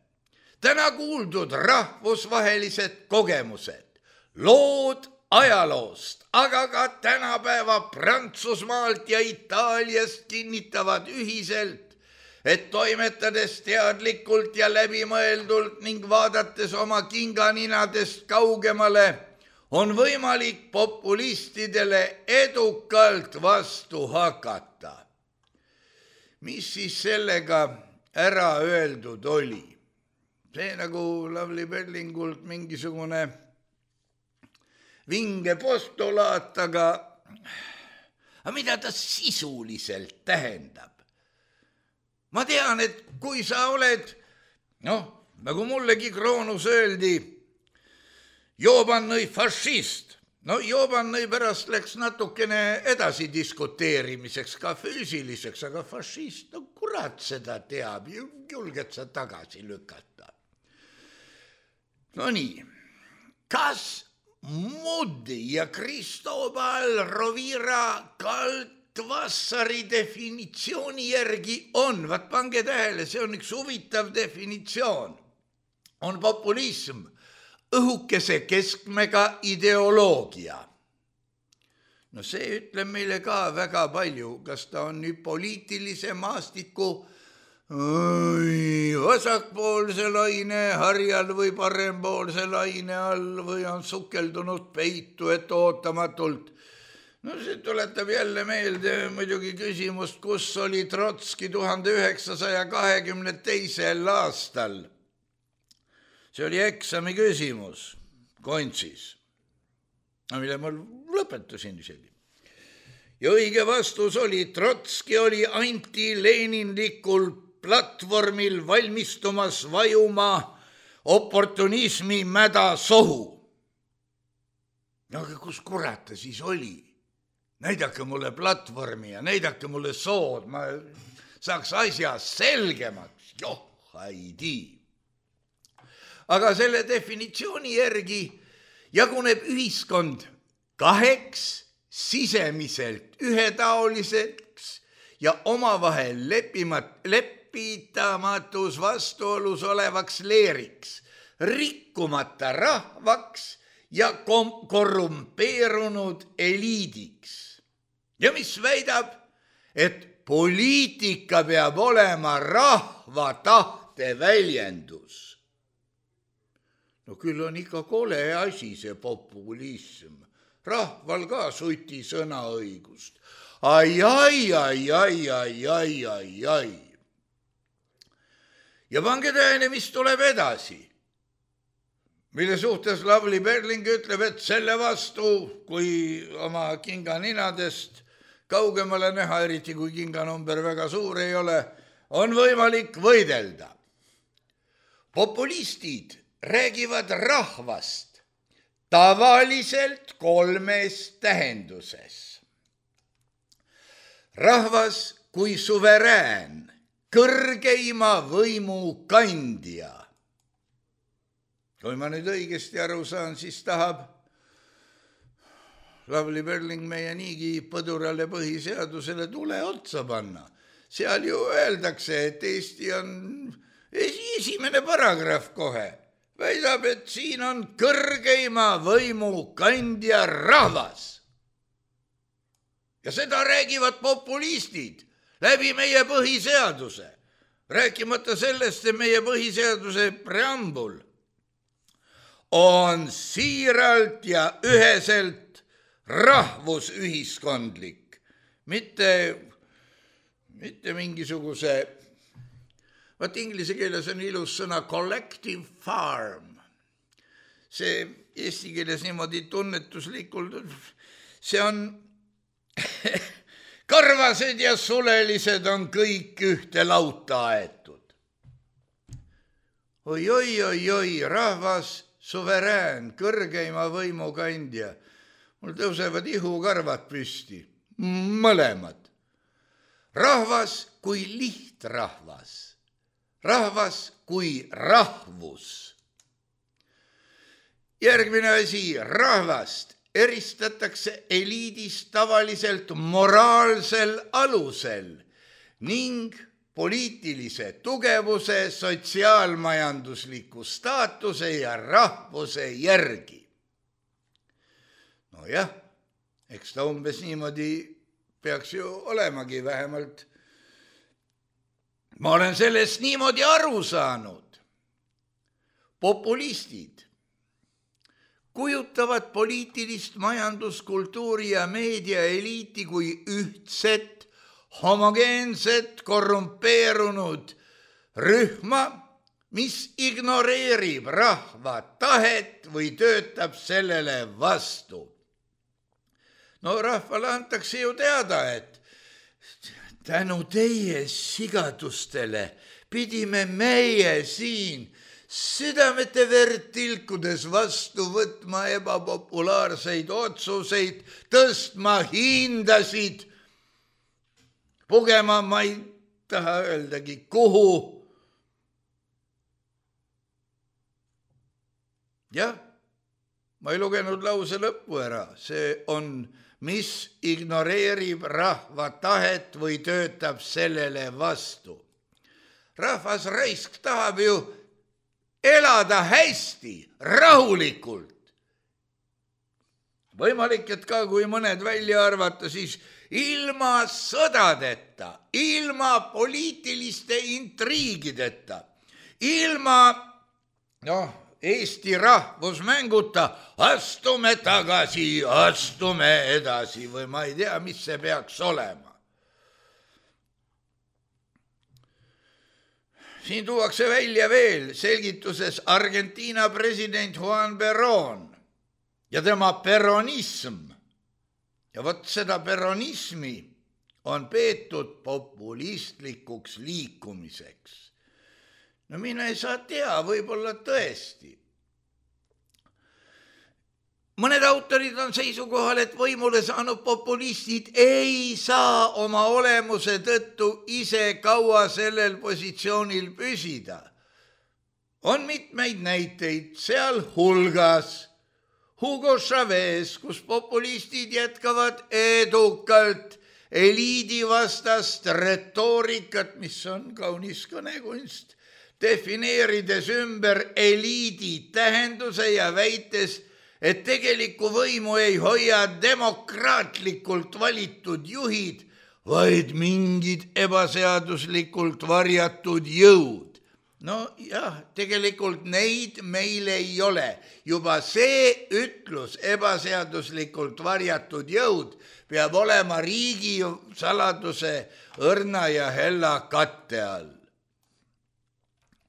Täna kuuldud rahvusvahelised kogemused, lood ajaloost, aga ka tänapäeva Prantsusmaalt ja Itaaliast kinnitavad ühiselt, et toimetades teadlikult ja läbimõeldult ning vaadates oma kinganinadest kaugemale, on võimalik populistidele edukalt vastu hakata. Mis siis sellega ära öeldud oli? See nagu Lavly Perlingult mingisugune vinge postulaat, aga mida ta sisuliselt tähendab? Ma tean, et kui sa oled, nagu mullegi Kroonus öeldi, Joobannõi fašist, Joobannõi pärast läks natukene edasi diskuteerimiseks, ka füüsiliseks, aga fašist, kurat seda teab, julged sa tagasi lükata. Nii, kas Moodi ja Cristobal Rovira Kaltvassari definitsiooni järgi on, vaat pange tähele, see on üks huvitav definitsioon, on populism õhukese keskmega ideoloogia. See ütleb meile ka väga palju, kas ta on nüüd poliitilise maastiku vasakpoolse laine harjal või parempoolse laine all või on sukeldunud peitu, et ootamatult. See tuletab jälle meelde muidugi küsimust, kus oli Trotski 1922. aastal. See oli eksami küsimus Kontsis, mille ma lõpetasin isegi. Ja õige vastus oli, Trotski oli anti-leninlikul platvormil valmistumas vajuma oportunismi mäda sohu. Aga kus kurat ta siis oli? Näidake mulle platvormi ja näidake mulle sood, ma saaks asja selgemaks. Ei tii. Aga selle definitsiooni järgi jaguneb ühiskond kaheks sisemiselt ühetaoliseks ja omavahel lepitamatus vastuolus olevaks leeriks, rikkumata rahvaks ja korrumpeerunud eliidiks. Ja mis väidab, et poliitika peab olema rahva tahte väljendus. Küll on ikka kole asi see populism. Rahval ka suti sõnaõigust. Ai. Ja pange tähele, mis tuleb edasi. Mille suhtes Lavly Perling ütleb, et selle vastu, kui oma kinganinadest kaugemale näha, eriti kui kinganumber väga suur ei ole, on võimalik võidelda. Populistid räägivad rahvast tavaliselt kolmes tähenduses. Rahvas kui suverään, kõrgeima võimu kandja. Kui ma nüüd õigesti aru saan, siis tahab Lavly Perling meie niigi põdurale põhiseadusele tule otsa panna. Seal ju öeldakse, et Eesti on esimene paragrahv kohe. Väidab, et siin on kõrgeima võimu kandja rahvas. Ja seda räägivad populistid läbi meie põhiseaduse. Rääkimata sellest, et meie põhiseaduse preambul on siiralt ja üheselt rahvusühiskondlik, mitte mingisuguse, vaat inglise keeles on ilus sõna collective farm. See eesti keeles niimoodi tunnetuslikult, see on karvased ja sulelised on kõik ühte lauta aetud. Oi, rahvas, suverään, kõrgeima võimu kandja. Mul tõusevad ihukarvad püsti, mõlemad. Rahvas kui lihtrahvas, rahvas kui rahvus. Järgmine asi, rahvast eristatakse eliidist tavaliselt moraalsel alusel ning poliitilise tugevuse, sotsiaalmajandusliku staatuse ja rahvuse järgi. No jah, eks ta umbes niimoodi peaks ju olemagi vähemalt. Ma olen sellest niimoodi aru saanud. Populistid kujutavad poliitilist majanduskultuuri ja meediaeliiti kui ühtset, homogeenset, korrumpeerunud rühma, mis ignoreerib rahva tahet või töötab sellele vastu. No rahvale antakse ju teada, et tänu teie sigadustele pidime meie siin südamete verd tilkudes vastu võtma ebapopulaarseid otsuseid, tõstma hindasid, pugema, ma ei taha öeldagi, kuhu. Jah, ma ei lugenud lause lõppu ära, see on, mis ignoreerib rahva tahet või töötab sellele vastu. Rahvas raisk tahab ju elada hästi, rahulikult. Võimalik, et ka kui mõned välja arvata, siis ilma sõdadeta, ilma poliitiliste intriigideta, ilma Eesti rahvusmänguta astume tagasi, astume edasi või ma ei tea, mis see peaks olema. Siin tuuakse välja veel selgituses Argentiina president Juan Perón ja tema peronism. Ja vot seda peronismi on peetud populistlikuks liikumiseks. No mina ei saa tea, võib-olla tõesti. Mõned autorid on seisukohal, et võimule saanud populistid ei saa oma olemuse tõttu ise kaua sellel positsioonil püsida. On mitmeid näiteid, seal hulgas Hugo Chavez, kus populistid jätkavad edukalt eliidivastast retoorikat, mis on kaunis kõnekunst, defineerides ümber eliidi tähenduse ja väites, et tegelikku võimu ei hoia demokraatlikult valitud juhid, vaid mingid ebaseaduslikult varjatud jõud. No jah, tegelikult neid meil ei ole. Juba see ütlus ebaseaduslikult varjatud jõud peab olema riigi saladuse õrna ja hella katte all.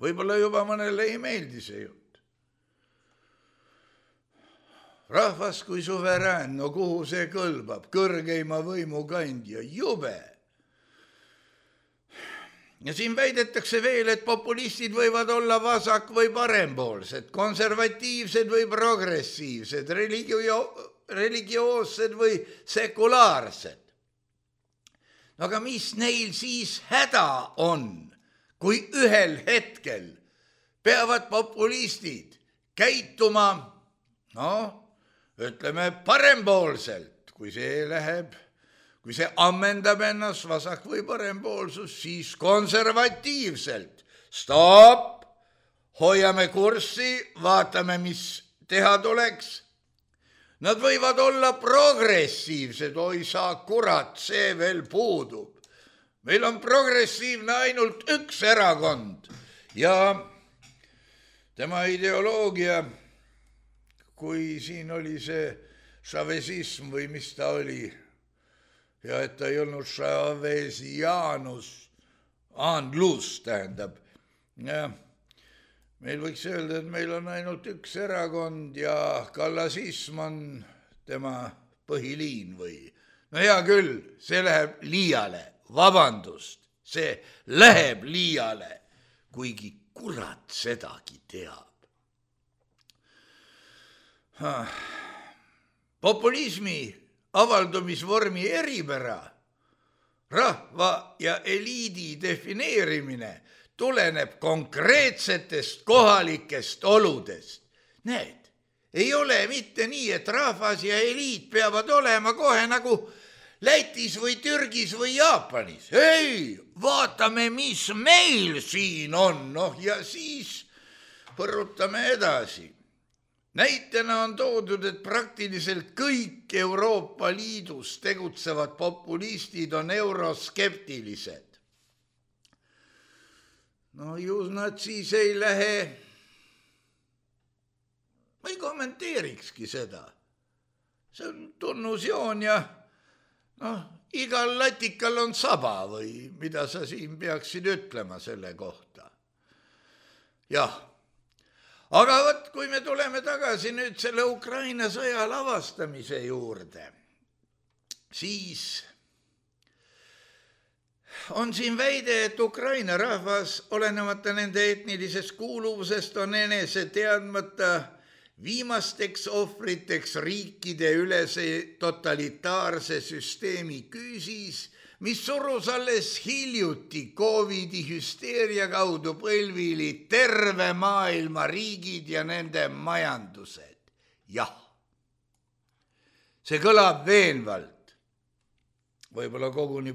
Võib-olla juba mõnele ei meeldi see jutt. Rahvas kui suverään, no kuhu see kõlbab? Kõrgeima võimu kandja, jube. Ja siin väidetakse veel, et populistid võivad olla vasak- või parempoolsed, konservatiivsed või progressiivsed, religioossed või sekulaarsed. Aga mis neil siis häda on, kui ühel hetkel peavad populistid käituma, ütleme parempoolselt kui see ammendab ennast vasak- või parempoolsus, siis konservatiivselt. Stopp, hoiame kurssi, vaatame, mis teha tuleks. Nad võivad olla progressiivsed, oi sa kurat, see veel puudub. Meil on progressiivne ainult üks erakond ja tema ideoloogia, kui siin oli see šavezism või mis ta oli, ja et ta ei olnud šavesianus, andlus tähendab. Ja meil võiks öelda, et meil on ainult üks erakond ja kallasism on tema põhiliin või. No hea küll, see läheb liiale. Vabandust, see läheb liiale, kuigi kurat sedagi teab. Populismi avaldumisvormi eripära, rahva ja eliidi defineerimine tuleneb konkreetsetest kohalikest oludest. Näed, ei ole mitte nii, et rahvas ja eliit peavad olema kohe nagu Lätis või Türgis või Jaapanis. Ei, vaatame, mis meil siin on, ja siis põrutame edasi. Näitena on toodud, et praktiliselt kõik Euroopa Liidus tegutsevad populistid on euroskeptilised. No ju nad siis ei lähe, ma ei kommenteerikski seda. See on tunnusjoon ja igal latikal on saba või mida sa siin peaksid ütlema selle kohta. Jah, aga võt, kui me tuleme tagasi nüüd selle Ukraina sõja lavastamise juurde, siis on siin väide, et Ukraina rahvas, olenemata nende etnilisest kuuluvusest, on enese teadmata viimasteks ohvriteks riikide ülese totalitaarse süsteemi küüsis, mis surus alles hiljuti COVID-i hüsteeria kaudu põlvili terve maailma riigid ja nende majandused. Jah, see kõlab veenvalt, võib-olla koguni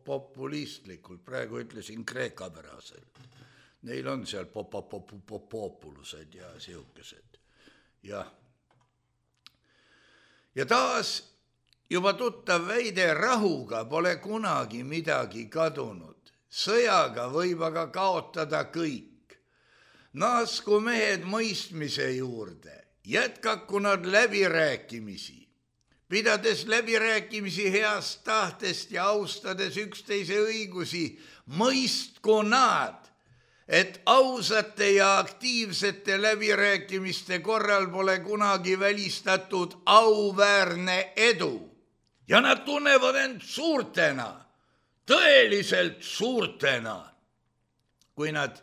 populistlikult, praegu ütlesin kreekapäraselt. Neil on seal populused ja siukesed. Ja taas juba tuttav väide, rahuga pole kunagi midagi kadunud. Sõjaga võib aga kaotada kõik. Naasku mehed mõistmise juurde, jätkaku nad läbirääkimisi. Pidades läbirääkimisi heast tahtest ja austades üksteise õigusi, mõistku nad, et ausate ja aktiivsete läbirääkimiste korral pole kunagi välistatud auväärne edu. Ja nad tunnevad end suurtena, tõeliselt suurtena. Kui nad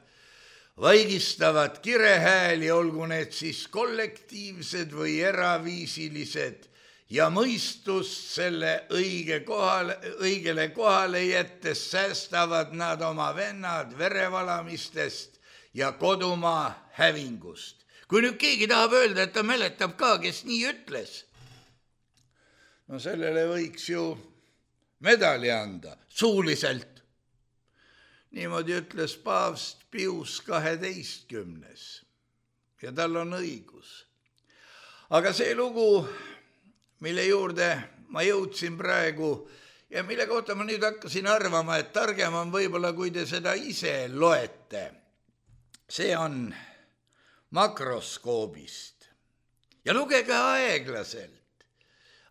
vaigistavad kirehääli, olgu need siis kollektiivsed või eraviisilised, ja mõistust selle õigele kohale jättes säästavad nad oma vennad verevalamistest ja kodumaa hävingust. Kui nüüd keegi tahab öelda, et ta mäletab ka, kes nii ütles, no sellele võiks ju medali anda, suuliselt. Niimoodi ütles paavst Pius 12. Ja tal on õigus. Aga see lugu, mille juurde ma jõudsin praegu ja mille kohta ma nüüd hakkasin arvama, et targem on võib-olla, kui te seda ise loete. See on makroskoobist. Ja lugege aeglaselt.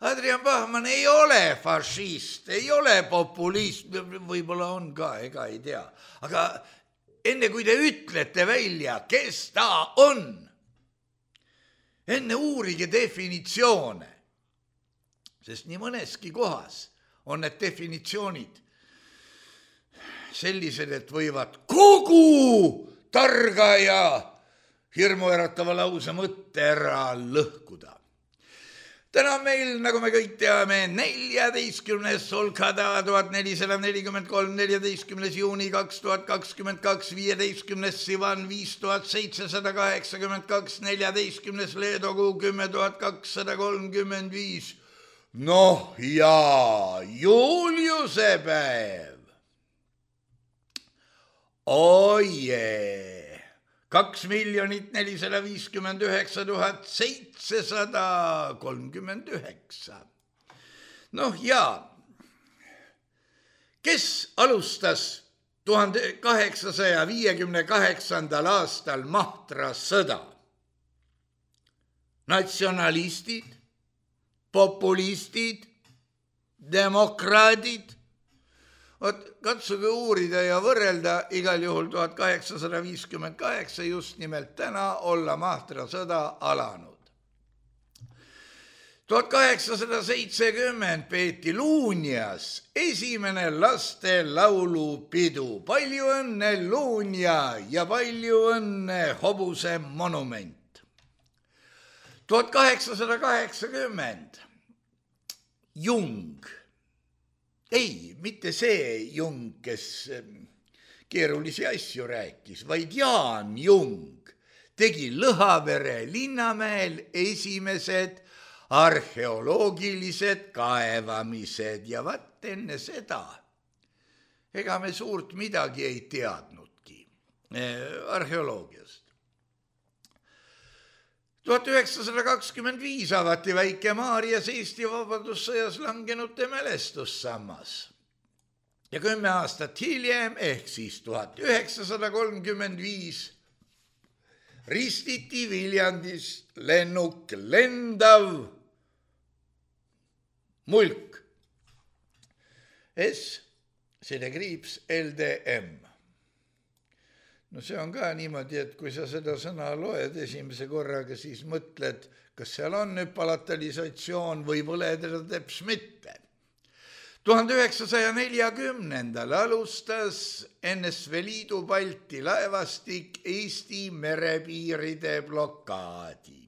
Adrian Bachmann ei ole fašist, ei ole populist, võib-olla on ka, ega ei tea. Aga enne kui te ütlete välja, kes ta on, enne uurige definitsioone. Sest nii mõneski kohas on need definitsioonid sellised, et võivad kogu targa ja hirmuäratava lause mõtte ära lõhkuda. täna meil, nagu me kõik teame, 14. Solkada 1443, 14. juuni 2022, 15. Sivan 5782, 14. Leedokuu 10235. Noh ja Juliuse päev. Oje. 2 459 739. Noh ja, kes alustas 1858. aastal Mahtra sõda? Natsionalistid, populistid, demokraadid. Katsuge uurida ja võrrelda, igal juhul 1858 just nimelt täna olla Mahtra sõda alanud. 1870 peeti Luunjas esimene laste laulupidu. Palju õnne Luunja ja palju õnne hobuse monument. 1880 Jung. Ei, mitte see Jung, kes keerulisi asju rääkis, vaid Jaan Jung tegi Lõhavere linnamäel esimesed arheoloogilised kaevamised ja vaat enne seda ega me suurt midagi ei teadnudki arheoloogiast. 1925 avati Väike-Maarjas Eesti Vabadussõjas langenute mälestussammas ja 10 aastat hiljem ehk siis 1935 ristiti Viljandis lennuk lendav mulk S-LDM. No see on ka niimoodi, et kui sa seda sõna loed esimese korraga, siis mõtled, kas seal on palatalisatsioon või pole teda teps mitte. 1940. alustas NSV Liidu Balti laevastik Eesti merepiiride blokaadi.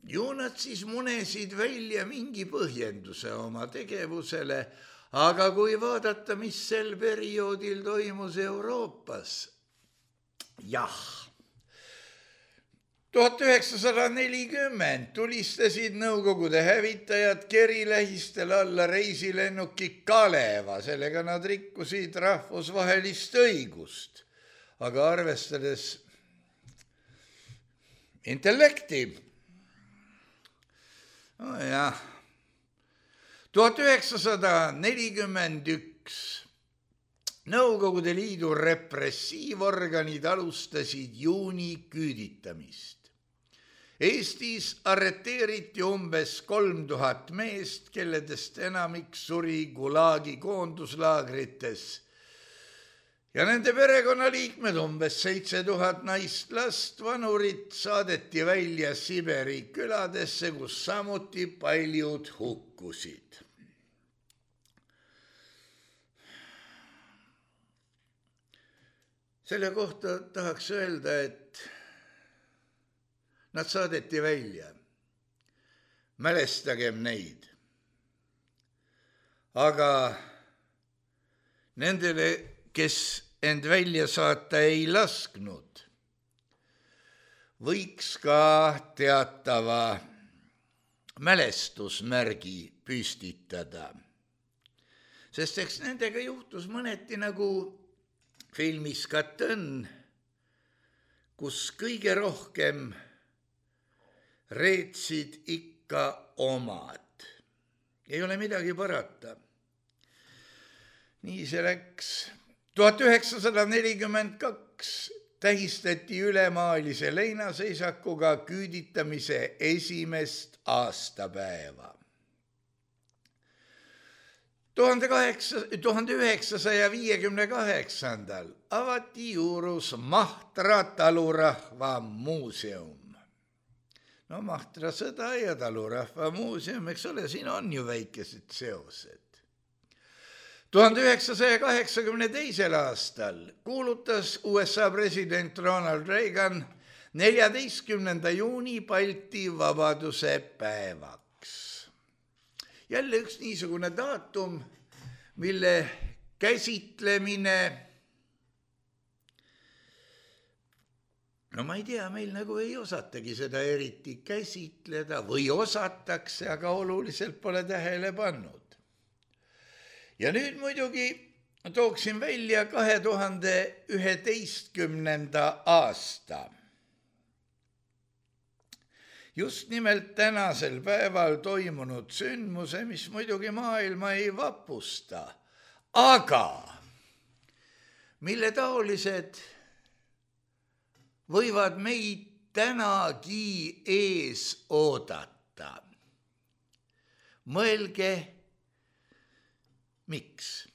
Ju nad siis munesid välja mingi põhjenduse oma tegevusele, aga kui vaadata, mis sel perioodil toimus Euroopas, jah. 1940 tulistasid Nõukogude hävitajad kerilähistel alla reisilennuki Kaleva, sellega nad rikkusid rahvusvahelist õigust, aga arvestades intellekti. Jah. 1941 Nõukogude Liidu repressiivorganid alustasid juuni küüditamist. Eestis arreteeriti umbes 3000 meest, kelledest enamik suri Gulagi koonduslaagrites ja nende perekonnaliikmed, umbes 7000 naist, last, vanurit saadeti välja Siberi küladesse, kus samuti paljud hukkusid. Selle kohta tahaks öelda, et nad saadeti välja. Mälestagem neid. Aga nendele, kes end välja saata ei lasknud, võiks ka teatava mälestusmärgi püstitada. Sest eks nendega juhtus mõneti nagu filmis Katõnn, kus kõige rohkem reetsid ikka omad. Ei ole midagi parata. Nii see läks. 1942 tähistati ülemaalise leinaseisakuga küüditamise esimest aastapäeva. 1958 avati Juurus Mahtra talurahva muuseum. No Mahtra sõda ja talurahva muuseum, eks ole, siin on ju väikesed seosed. 1982 aastal kuulutas USA president Ronald Reagan 14. juuni Balti vabaduse päevaks. Jälle üks niisugune daatum, mille käsitlemine, no ma ei tea, meil nagu ei osatagi seda eriti käsitleda või osatakse, aga oluliselt pole tähele pannud. Ja nüüd muidugi tooksin välja 2011. aasta. Just nimelt tänasel päeval toimunud sündmuse, mis muidugi maailma ei vapusta, aga mille taolised võivad meid tänagi ees oodata. Mõelge, miks?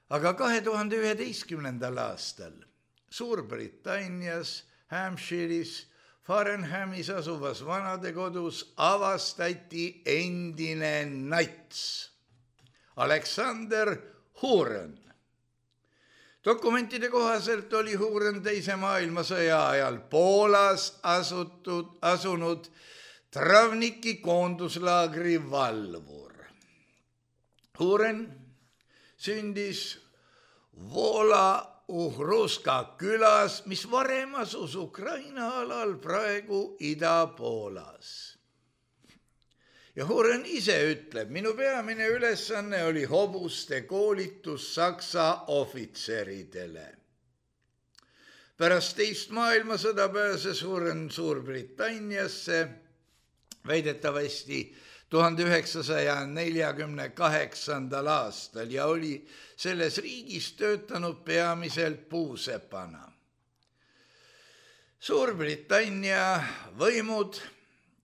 Aga 2011. aastal Suurbritannias, Hampshire'is, Farnhamis asuvas vanadekodus avastati endine nats Alexander Huren. Dokumentide kohaselt oli Huren teise maailmasõja ajal Poolas asunud Travniki koonduslaagri valvur. Huren sündis Vola-Uhruska külas, mis varem asus Ukraina alal, praegu Ida-Poolas. Ja Huren ise ütleb, minu peamine ülesanne oli hobuste koolitus Saksa ohvitseridele. Pärast teist maailmasõda pääses Huren Suurbritanniasse, väidetavasti 1948. aastal ja oli selles riigis töötanud peamiselt puusepana. Suurbritannia võimud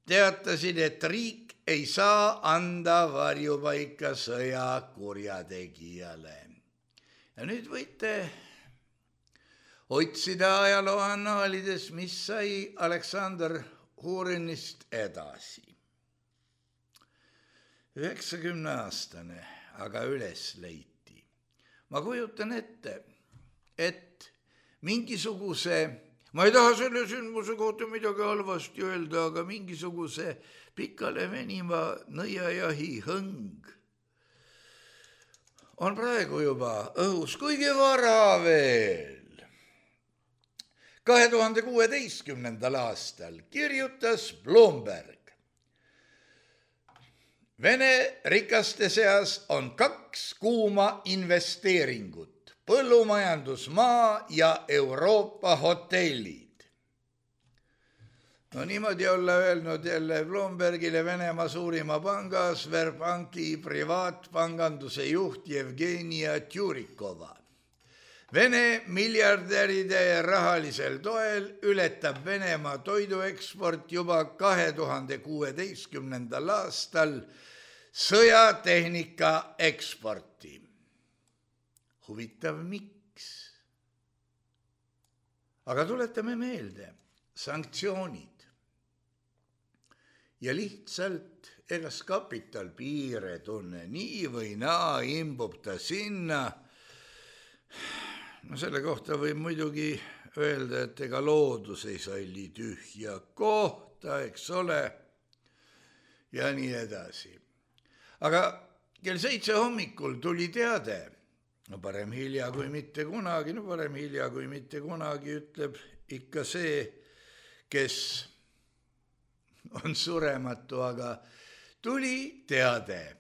teatasid, et riik ei saa anda varjupaika sõjakurjategijale. Ja nüüd võite otsida ajalooannaalides, mis sai Alexander Hurenist edasi. 90-aastane, aga üles leiti. Ma kujutan ette, et mingisuguse, ma ei taha selle sündmuse kohta midagi halvasti öelda, aga mingisuguse pikale venima nõiajahi hõng on praegu juba õhus, kuigi vara veel. 2016. aastal kirjutas Bloomberg, Vene rikaste seas on 2 kuuma investeeringut, põllumajandusmaa ja Euroopa hotellid. No niimoodi olla öelnud jälle Bloombergile Venemaa suurima panga Sberbanki privaatpanganduse juht Jevgenia Tjurikova. Vene miljardäride rahalisel toel ületab Venemaa toidueksport juba 2016. aastal sõjatehnika eksporti. Huvitav, miks? Aga tuletame meelde, sanktsioonid. Ja lihtsalt egas kapital piire tunne, nii või naa imbub ta sinna. No selle kohta võib muidugi öelda, et ega loodus ei salli tühja kohta, eks ole, ja nii edasi. Aga kell 7 hommikul tuli teade, no parem hilja kui mitte kunagi, ütleb ikka see, kes on surematu, aga tuli teade.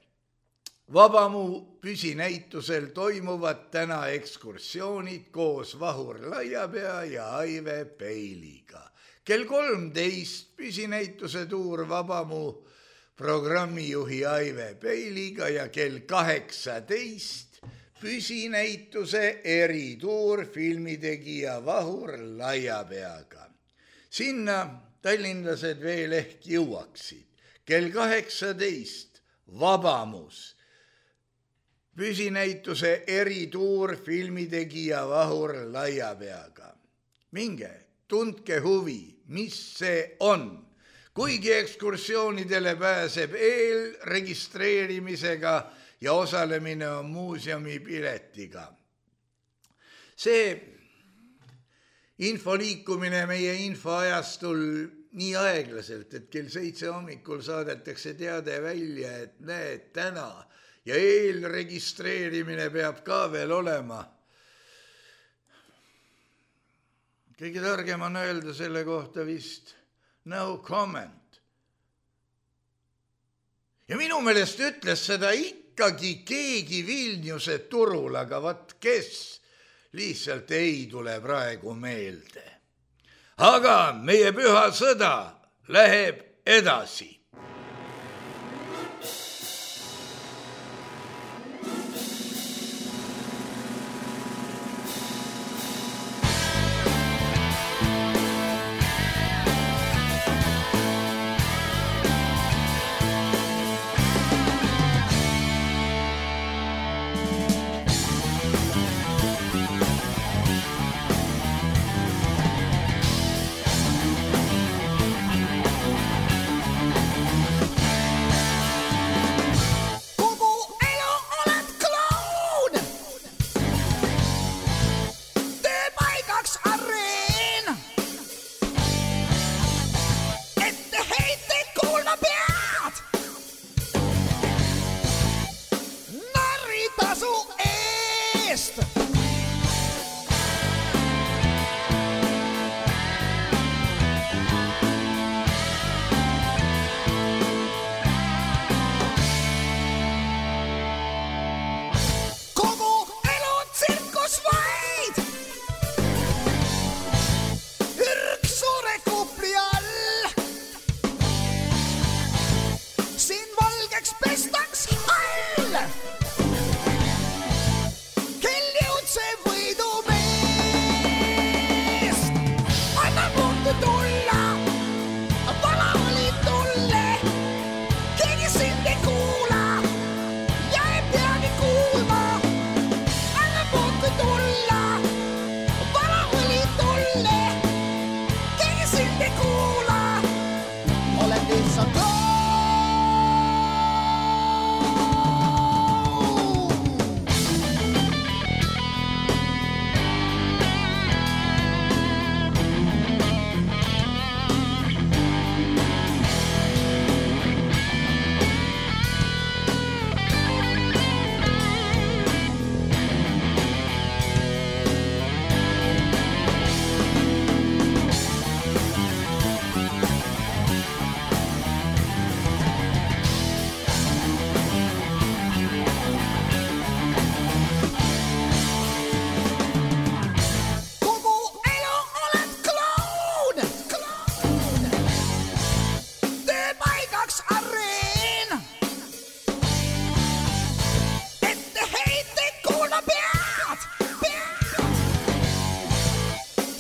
Vabamu püsinäitusel toimuvad täna ekskursioonid koos Vahur Laiapea ja Aive Peiliga. Kell 13 püsinäituse tuur Vabamu programmijuhi Aive Peiliga ja kell 18 püsinäituse erituur filmitegija Vahur Laiapeaga. Sinna tallinlased veel ehk jõuaksid. Kell 18 Vabamus püsinäituse erituur filmitegija Vahur Laiapeaga. Minge, tundke huvi, mis see on. Kuigi ekskursioonidele pääseb eelregistreerimisega ja osalemine on muuseumi piletiga. See info liikumine meie infoajastul nii aeglaselt, et kell 7 hommikul saadetakse teade välja, et näed täna ja eelregistreerimine peab ka veel olema. Kõige targem on öelda selle kohta vist no comment. Ja minu meelest ütles seda ikkagi keegi Vilniuse turul, aga vat kes lihtsalt ei tule praegu meelde. Aga meie püha sõda läheb edasi.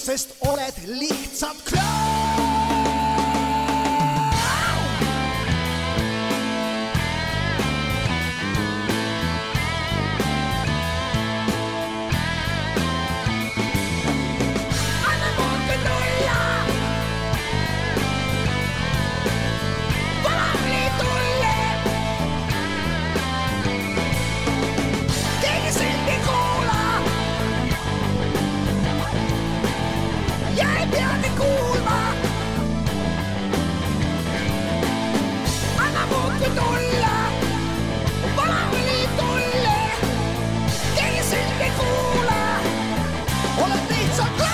Sest oled lihtsalt klaun. Anna muuke tulla. Valali tulle. Keegi sind ei kuula. Jäi peagi kuulma. Anna muuke tulla. Valali tulle. Keegi sind ei kuula. Oled lihtsalt klaun.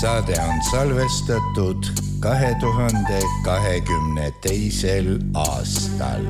Saade on salvestatud 2022. aastal.